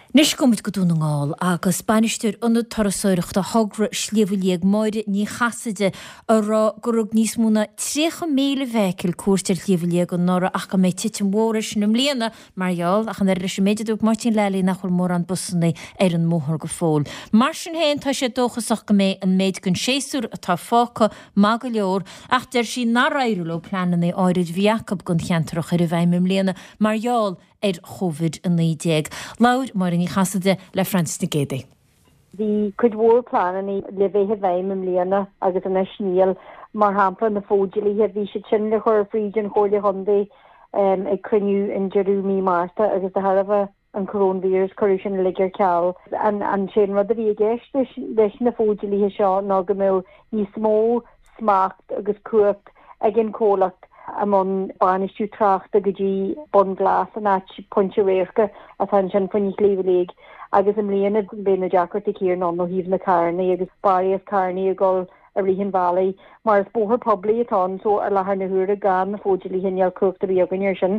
Anois gabhfaidh muid go Dún na nGall agus bainisteoir Ionad Turasóireachta Thogra Shliabh Liag, Máire Ní Chasaide, a rá gur thug níos mó ná 30,000 vehicle cuairt ar Shliabh Liag anuraidh ach go mbeidh titim mhór air sin i mbliana Mar gheall, ach an oiread leis an méid a dúirt Máirtín Lally nach bhfuil mórán busanna ar an mbóthar go fóill. Mar sin féin, tá sé dóchasach go mbeidh an méid den séasúr atá fágtha maith go leor ach deir sí nár éirigh leo pleananna áirid a bhí acu don cheantar a chur i bhfeidhm i mbliana mar gheall ar Covid-19. Labhair Máire Ní Chasaide le Frances Nic Géadaigh. Bhí cuid mhór pleananna le bheith i bhfeidhm i mbliana agus anois níl. Mar shampla, na fódlíthe, bhí siad sin le chur fríd an Chomhairle Chontae ag cruinniú in deireadh mí Márta agus de thairbhe an coróinvíreas cuireadh sin uilig ar ceal. An sé an rud a bhí i gceist leis na fódlíthe seo ná go mbeadh níos mó smacht agus cumhacht ag an chomhlacht i mbun bainistiú tráchta go dtí Bun Glas, an áit, pointe radhairce atá ansin fá choinne Shliabh Liag agus i mbliana beidh na deacrachtaí céanna ann ó thaobh na carrannaí agus barraíocht carrannaí ag dul. I rith an bhealaigh, mar is bóthar poiblí atá ann so i láthair na huaire gan na fodhlíthe níl cumhacht ar bith againn air sin.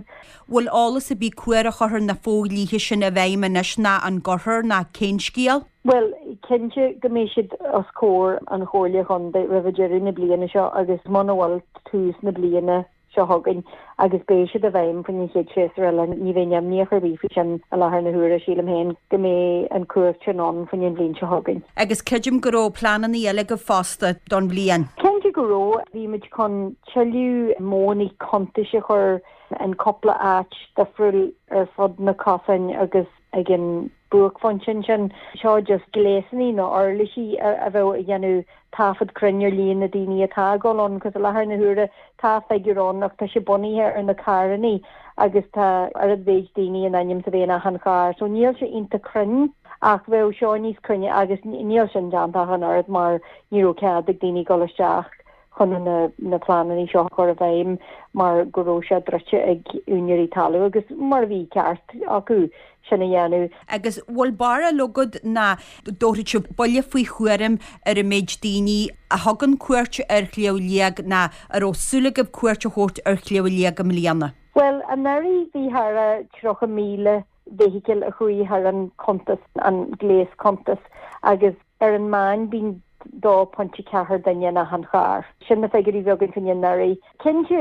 Bhfuil eolas ar bith cá huair a chuirfear na fodhlíthe sin i bhfeidhm anois ná an gcuirfear ná cén scéal? Bhuel, cinnte go mbeidh siad os comhair an Chomhairle Chontae roimh deireadh na bliana seo agus muna bhfuil tús na bliana seo chugainn agus beidh siad i bhfeidhm faoin an chéad séasúr eile. Ní bheinn imníoch ar bith faoi sin i láthair na huaire, sílim féin go mbeidh an cumhacht sin ann faoin an bhliain seo chugainn. Agus creidim go raibh pleananna eile agaibh fosta don bhliain. Cinnte go raibh. Bhí muid chun tuilleadh modhanna cuntais a chur in cúpla áit difriúil ar fud na cosáin agus ag an buaicphointe ansin. Seo just gléasanna nó uirlisí a bheadh ag déanamh taifead cruinn ar líon na daoine atá ag dul ann, cos i láthair na huaire tá figiúr ann ach tá sé bunaithe ar na carrannaí agus tá oiread mhéid daoine in ainm is a bheith in achan charr so níl sé iontach cruinn ach bheadh seo níos cruinne agus níl sin déanta ach an oiread mar ní raibh cead ag daoine dul isteach chun na pleananna seo a chur i bhfeidhm mar go raibh sé druidte ag úinéirí talún agus mar a bhí ceart acu sin a dhéanamh. Agus bhfuil barúil agat ná dtabharfaidh sibh buille faoi thuairim ar an méid daoine a thugann cuairt ar Shliabh Liag ná a raibh súil agaibh cuairt a thabhairt ar Shliabh Liag i mbliana? Bhuel, anuraidh bhí thar a 30,000 vehicle a chuaigh thar an cuntas, an gléas cuntas, agus ar an meán bíonn 2.4 duine in achan charr. Sin na figiúirí a bhí againn faoin anuraidh. Cinnte,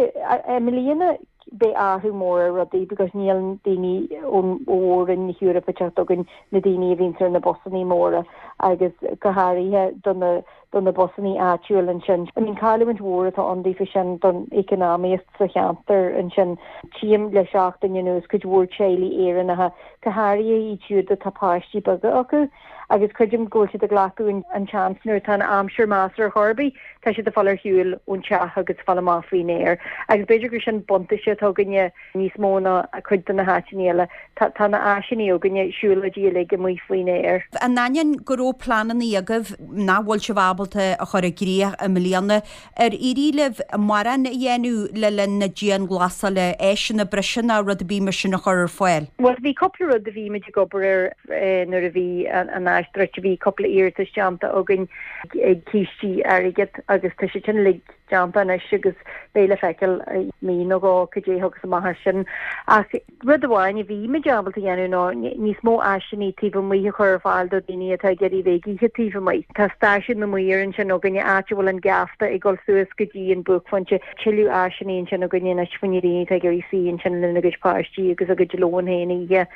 i mbliana beidh athrú mór ar rudaí because níl daoine ón mhór-roinn na hEorpa ag teacht chugainn, na daoine a bhíonns ar na busannaí móra agus go háirithe do na do na busannaí áitiúil ansin. I mean cailliúint mhór atá ann daofa sin don econámaíocht sa cheantar ansin. Tchím le seachtain anuas cuid mhór teaghlaigh Éireannacha, go háirithe iad siúd atá páistí beaga acu, agus creidim go bhfuil siad ag glacadh an tseans nuair atá an aimsir measartha ar chor ar bith, tá siad ag fáil ar shiúl ón teach agus ag fáil amach faoin aer. Agus b'fhéidir gur sin buntáiste atá againne níos mó ná cuid de na háiteanna eile. Tá tá na áiseanna againne, siúlóidí uilig amuigh faoin aer. In ainneoin go raibh pleananna agaibh nach bhfuil sibh ábalta a chur i gcrích i mbliana, Ar éirigh libh mórán a dhéanamh le linn na dianghlasála, áiseanna breise ná rud ar bith mar sin a chur ar fáil? Bhuel, bhí cúpla rud a bhí muid ag obair air nuair a bhí an áit druidte. Bhí cúpla iarratas déanta againn ag cístí airgid agus tá siad sin uilig déanta anois agus beidh le feiceáil i mí nó dhó cad é a thiocfas amach as sin. Ach Rud amháin a bhí muid ábalta a dhéanamh ná níos mó áiseanna taobh amuigh a chur ar fáil do dhaoine atá ag iarraidh bheith ag ithe taobh amuigh. Tá stáisiún na maor ansin againne, áit a bhfuil an geafta ag dul suas go dtí an buaicphointe. Tuilleadh áiseanna ansin againne anois fá choinne daoine atá ag iarraidh suí ansin lena gcuid páistí agus a gcuid lóin féin a ithe.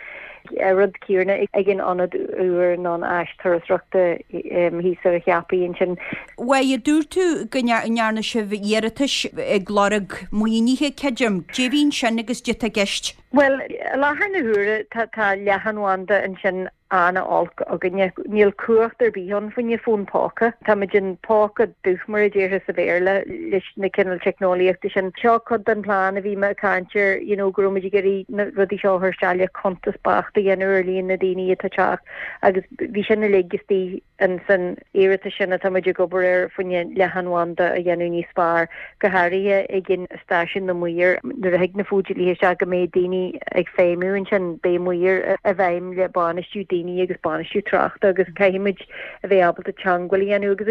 An rud céanna ag an ionad úr nó an áis turasóireachta thíos ar an Cheapaigh ansin. Bhuel, dúirt tú go ndearna sibh iarratais ag lorg maoinithe, creidim. Cad é a bhí ansin agus cad é atá i gceist? Bhuel, i láthair na huaire tá tá leathanbhanda ansin an-olc againne. Níl cumhacht ar bith ann fá choinne fón póca. Táimid in póca dubh mar a déarfá sa Bhéarla leis na cineál teicneolaíochta sin. Seo cuid den plean a bhí mé ag caint air, you know, go raibh muid ag iarraidh na rudaí seo a chur isteach le cuntas beacht a dhéanamh ar líon na daoine atá ag teacht agus bhí sin uilig istigh ins an iarratas sin atá muid ag obair air fá choinne leathanbhanda a dhéanamh níos fearr, go háirithe ag an stáisiún na maor. Nuair a thig na fodhlíthe isteach go mbeidh daoine ag feidhmiú ansin, beidh maoir i bhfeidhm le bainistiú daoine agus bainistiú tráchta agus caithfidh muid a bheith ábalta teangmháil a dhéanamh agus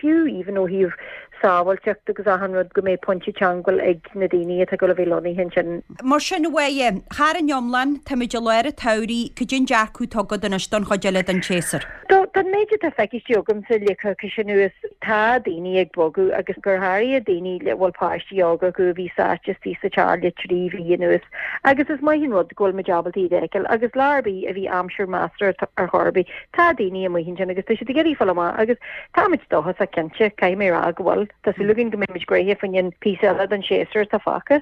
fiú even ó thaobh sábháilteacht agus achan rud go mbeidh pointe teangmháil ag na daoine atá ag dul a bheith lonnaithe ansin. Mar sin, a Mháire, thar an iomlán, táimid i lár an tsamhraidh, cad é an dearcadh atá agat anois don chuid eile den tséasúr? Don méid atá feicthe agamsa le coicís anuas, tá daoine ag bogadh agus go háirithe daoine a bhfuil páistí óga acu a bhí sáite istigh sa teach le 3 mhí anuas agus is maith an rud go bhfuil muid ábalta iad a fheiceáil agus lá ar bith a bhí aimsir measartha ar chor ar bith, tá daoine amuigh ansin agus tá siad ag iarraidh fáil amach agus Táimid dóchasach cinnte, caithfidh mé a rá go bhfuil. Tá súil againn go mbeimid gnoitheach fá choinne an píosa eile den séasúr atá fágtha.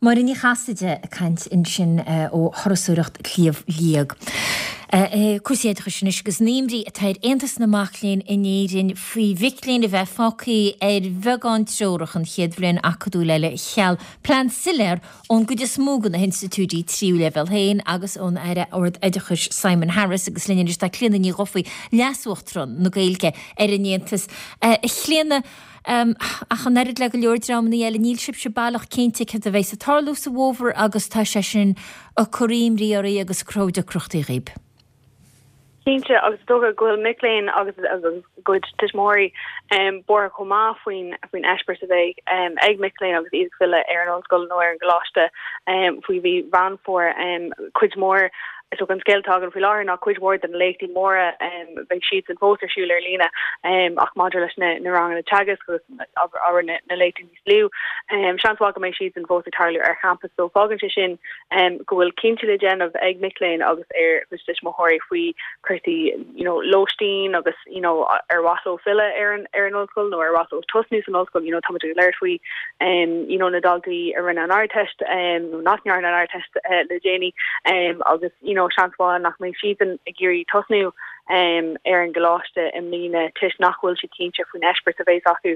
Máire Ní Chasaide ag caint ansin ó Thurasóireacht Shliabh Liag. Cúrsaí oideachais anois agus an imní atá ar Aontas na Mac Léinn in Éirinn faoi mhic léinn a bheith fágtha ar bheagán treorach an chéad bhliain acadúil eile cheal plean soiléir ón gcuid is mó de na hinstitiúidí tríú leibhéal féin agus ón Aire Ard-Oideachais Simon Harris agus linn anois tá Clíona Ní Dhufaigh, Leas-Uachtarán na Gaeilge ar an Aontas. A Chlíona, ach an oiread le go leor dreamanna eile, níl sibhse baileach cinnte céard a bheas ag tarlú sa bhfómhar agus tá sé sin ag cur imní oraibh agus ag cruthú deacrachtaí dhaoib. Cinnte, agus is dócha go bhfuil mic léinn agus a gcuid tuismitheoirí buartha chomh maith faoin faoin eispéireas a bheidh ag mic léinn agus iad ag filleadh ar an ollscoil nó ar an gcoláiste faoi mhí Mheán Fómhair. Cuid mhór, is dócha an scéal atá againn faoi láthair ná cuid mhór de na léachtaí móra beidh siadsan fós ar siúl ar líne ach maidir leis na ranganna teagaisc agus abair na léachtaí níos lú. Seans mhaith go mbeidh siadsan fós ag tarlú ar champas so fágann sé sin go bhfuil cinntí le déanamh ag mic léinn agus ar a gcuid tuismitheoirí faoi chúrsaí you know lóistín agus you know ar mhaith leo filleadh ar an ar an ollscoil nó ar mhaith leo tosnú san ollscoil you know táimid ag labhairt faoi you know na daltaí a rinne an Ardteist nó nach ndearna an Ardteist le déanaí agus you know seans mhaith nach mbeidh siadsan ag iarraidh tosnú ar an gcoláiste i mbliana toisc nach bhfuil siad cinnte faoin eispéireas a bheas acu.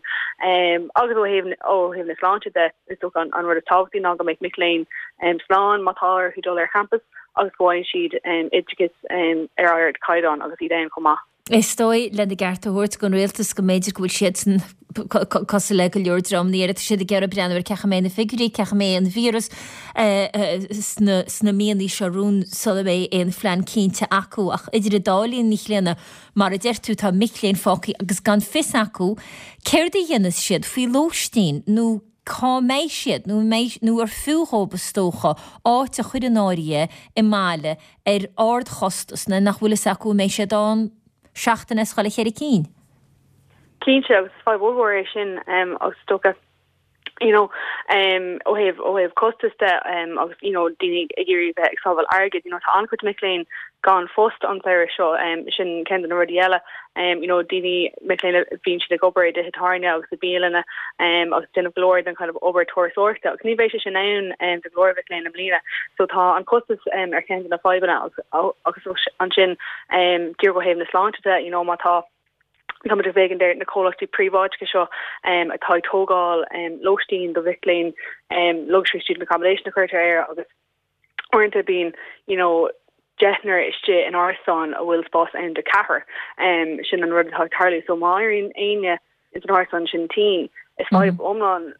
Agus ó thaobh ó thaobh na sláinte de, is dócha an rud is tábhachtaí ná go mbeidh mic léinn slán má tá orthu dul ar champas agus go bhfaigheann siad oideachas ar ardchaighdeán agus iad ann chomh maith. Is dóigh, lena gceart a thabhairt don rialtas, go mb'fhéidir go bhfuil siadsan cosúil le go leor dreamanna eile, tá siad ag iarraidh breathnú ar cén chaoi a mbeidh na figiúirí, cén chaoi a mbeidh an víreas sna sna míonna seo romhainn sula mbeidh aon phlean cinnte acu. Ach idir an dá linn, a Chlíona, mar a deir tú, tá mic léinn fágtha agus gan fios acu céard a dhéanfas siad faoi lóistín nó cá mbeidh siad nó an mbeidh nó ar fiú dhóibh is dócha áit a chur in áirithe i mbaile ar ardchostas nuair nach bhfuil fhios acu an mbeidh siad ann seachtain as chuile cheithre cinn. Cinnte, agus is fadhb ollmhór é sin agus is dócha, you know, ó thaobh, ó thaobh costas de agus, you know, daoine ag iarraidh bheith ag sábháil airgid, you know, tá an-chuid mic léinn gan phost an samhradh seo, sin ceann de na rudaí eile, you know, daoine, mic léinn a bhíonn siad ag obair i dtithe tábhairne agus i bialanna agus déanamh go leor den kind of obair turasóireachta agus ní bheidh sé sin ann do go leor mhic léinn i mbliana. So tá an costas ar cheann de na fadhbanna agus, agus ansin díreach ó thaobh na sláinte de, you know, má tá Tá muid ag féachaint ar na comhlachtaí príobháideacha seo atá ag tógáil lóistín do mhic léinn, luxury student accommodation a chuirtear air agus uaireanta bíonn you know deichniúr istigh in árasán a bhfuil spás ann do cheathrar. Sin an rud atá ag tarlú. So má éiríonn éinne ins an árasán sin tinn, is fadhb iomlán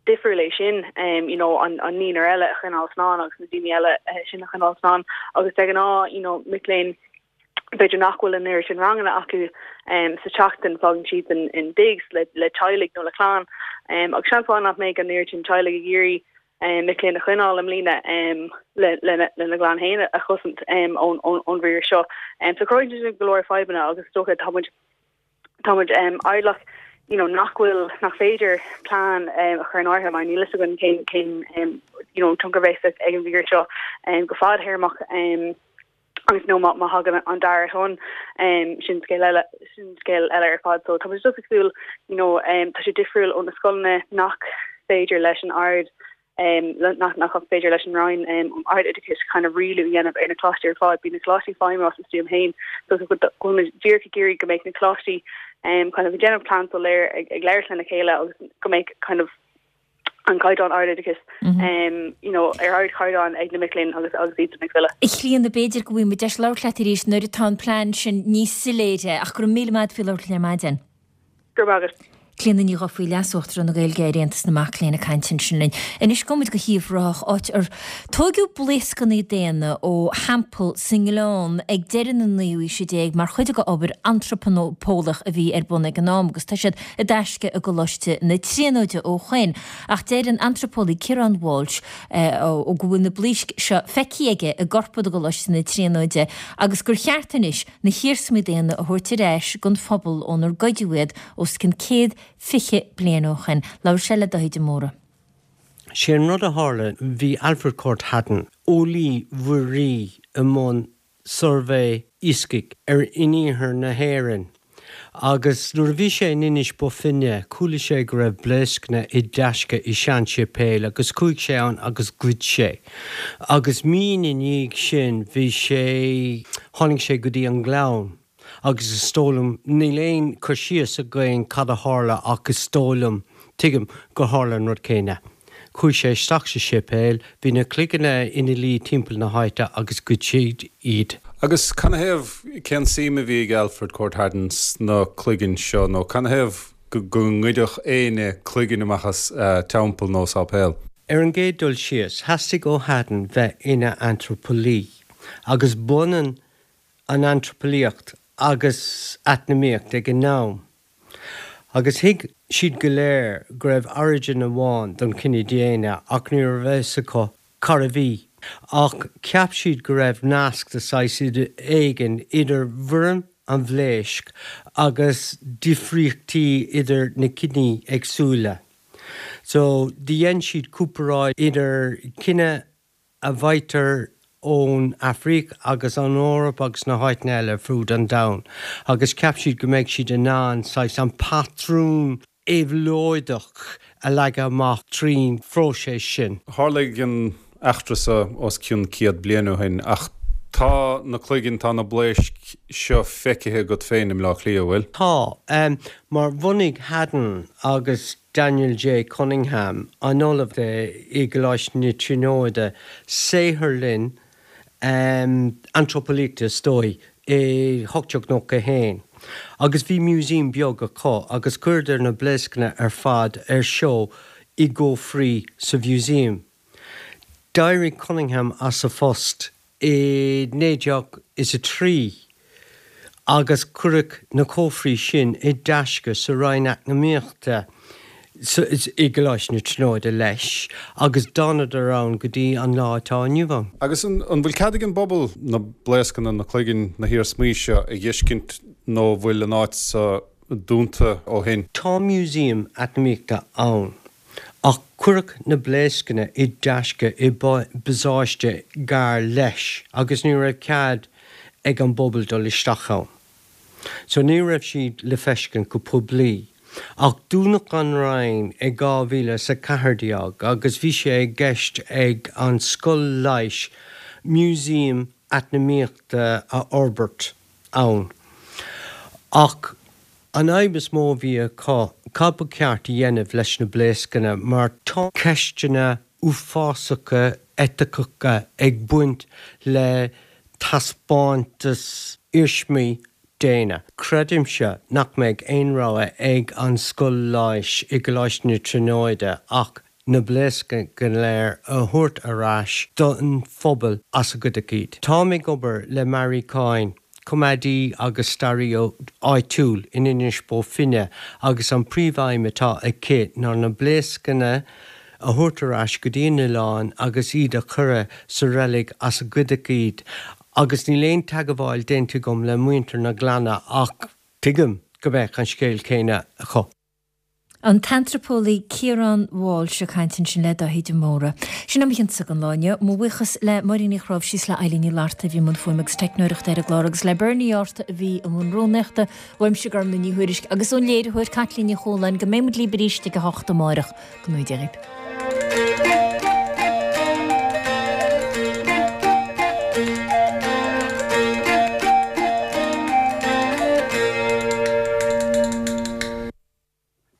difriúil é sin you know an naonúr eile a choinneáil slán agus na daoine eile sin a choinneáil slán agus de ghnáth you know mic léinn b'fhéidir nach bhfuil an oiread sin ranganna acu sa tseachtain, fágann siad in digs le teaghlaigh nó le clann agus seans mhaith nach mbeidh an oiread sin teaghlaigh ag iarraidh mic léinn a choinneáil i mbliana lena gclann féin a chosaint ón víreas seo. So cruthaíonn sé sin go leor fadhbanna agus is dócha tá muid tá muid airdeallach you know nach bhfuil nach féidir plean a chur in áirithe mar níl fhios againn cén cén you know tionchar a bheas ag an víreas seo go fadtéarmach. Agus nó má thagann an dara tonn, sin scéal eile, sin scéal eile ar fad. So tá muid just ag súil, you know, tá sé difriúil ó na scoileanna nach féidir leis an Ard, nach nach féidir leis an Roinn um Ard-Oideachais kind of rialú a dhéanamh ar na coláistí ar fad. Bíonn na coláistí ag feidhmiú as a stuaim féin. So go bhfuil muid díreach ag iarraidh go mbeidh na coláistí kind of ag déanamh plean soiléir ag labhairt lena chéile agus go mbeidh kind of an caighdeán ardoideachais you know ar ardchaighdeán ag na mic léinn agus agus iad ag filleadh. A Chlíona, b'fhéidir go bhfaighidh muid deis labhairt leat arís nuair atá an plean sin níos soiléire ach go raibh míle maith agat faoi labhairt linn ar maidin. Go raibh maith agat. Clíona Ní Dhufaigh, Leas-Uachtarán na Gaeilge ar Aontas na Mac Léinn ag caint ansin linn. Anois gabhfaidh muid go hUíbh Ráthach, áit ar tóigeadh blaoscanna daonna ó theampall sa nGleann ag deireadh na naoú haoise déag mar chuid de obair antraipeolaíoch a bhí ar bun ag an am agus tá siad i dtaisce i gColáiste na Tríonóide ó shoin ach deir an antraipeolaí Ciarán Walsh go bhfuil na blaoisc seo feicthe aige i gcorpad i gColáiste na Tríonóide agus gur cheart anois na hiarsmaí daonna a thabhairt ar ais don phobal ónar goideadh iad os cionn 120 bliain ó shoin. Labhair sé le Dáithí de Mórdha. Sé an rud a tharla, bhí Alfred Corth Haddon, eolaí mhuirí i mbun suirbhé iascaigh ar in iarthar na hÉireann agus nuair a bhí sé in Inis Bó Finne chuala sé go raibh blaoscanna i dtaisce i sean-séipéal agus chuaigh sé ann agus ghoid sé agus mí ina dhiaidh sin bhí sé tháinig sé go dtí an Gleann agus is dóigh liom níl aon cur síos againn cad a tharla ach is dóigh liom tuigim gur tharla an rud céanna. Chuaigh sé isteach sa séipéal, bhí na cloigeanna ina luí timpeall na háite agus ghoid siad iad. Agus canathaobh, cén suim a bhí ag Alfred Corth Haddon sna cloiginn seo, nó canathaobh go ngoidfeadh éinne cloigeann amach as teampall nó sáipéal? Ar an gcéad dul síos, theastaigh ó Haddon bheith ina antraipeolaí, agus b'ionann. an antraipeolaíocht agus eacnamaíocht ag an am. Agus thuig siad go léir go raibh origin amháin don chine daonna ach ní raibh a fhios acu cárbh í. Ach cheap siad go raibh nasc de saghas éigin idir bhfoirm an bhlaoisc agus difríochtaí idir na ciní éagsúla. So, do dhein siad comparáid idir cine a bhfaightear ón Afraic agus an Eoraip agus na háiteanna eile ar fud an domhain agus cheap siad go mbeidh siad in ann saghas an patrún éabhlóideach a leagadh amach trín phróiseas sin. Tharlaigh an eachtra seo os cionn 100 bliain ó shin ach tá na cloiginn, tá na blaoisc seo feicthe agat féin i mBleá Cliath, an bhfuil? Tá, mar bhunaigh Haddon agus Daniel J. Cunningham, an ollamh i gColáiste na Tríonóide, saotharlann antraipeolaíochta is dóigh, i 1891 agus bhí museum beag acu agus chuireadar na blaoscanna ar fad ar seó i gcófraí sa mhuseum. D'éirigh Cunningham as a phost i 1903 agus cuireadh na cófraí sin i dtaisce sa Roinn Eacnamaíochta i gColáiste na Tríonóide leis agus d'fhanadar ann go dtí an lá atá inniu ann. Agus an bhfuil cead ag an bpobal na blaoscanna, na cloiginn, na hiarsmaí seo a dh'fheiscint nó an bhfuil an áit so dúnta ó shin? Tá museum eacnamaíochta ann. Ach cuireadh na blaoscanna i dtaisce i bpasáiste gar leis agus ní raibh cead ag an bpobal dul isteach ann. So ní raibh siad le feiscint go poiblí. Ach dúnadh an Roinn i 2014 agus bhí sé i gceist ag an Scoil Leighis museum eacnamaíochta a fhorbairt ann. Ach an fhadhb is mó a bhí acu, cad ba cheart a dhéanamh leis na blaoscanna mar tá ceisteanna uafásacha eiticeacha ag baint le taispeántas iarsmaí daonna. Creidimse nach mbeidh aon rogha ag an Scoil Leighis i gColáiste na Tríonóide ach na blaoscanna go léir a thabhairt ar ais don phobal as a goideadh iad. Táim ag obair le Mary Coyne, coimeádaí agus staraí áitiúil in Inis Bó Finne agus an príomhaidhm atá aici ná na blaoscanna a thabhairt ar ais go dtí an oileán agus iad a chur sa reilig as a goideadh iad agus níl aon teagmháil déanta agam le muintir na Gleanna ach tuigim go mbeadh an scéal céanna acu. An t-antraipeolaí Ciarán Walsh ag caint ansin le Dáithí de Mórdha. Sin é mo chionsa don lá inniu. Mo bhuíochas le Máirín Uí Chnáimhsí is le Eilín Ní Fhlatharta a bhí i mbun fuaime agus teicneoireachta ar an gclár agus le Bernie Arthur a bhí i mbun rúnaíochta. Uaimse Gormlaith Ní Thuairisg agus ón léiritheoir Caitlín Ní Chualáin go mbeidh muid libh arís ag a hocht amárach. Go ngnóthaí Dia dhaoibh.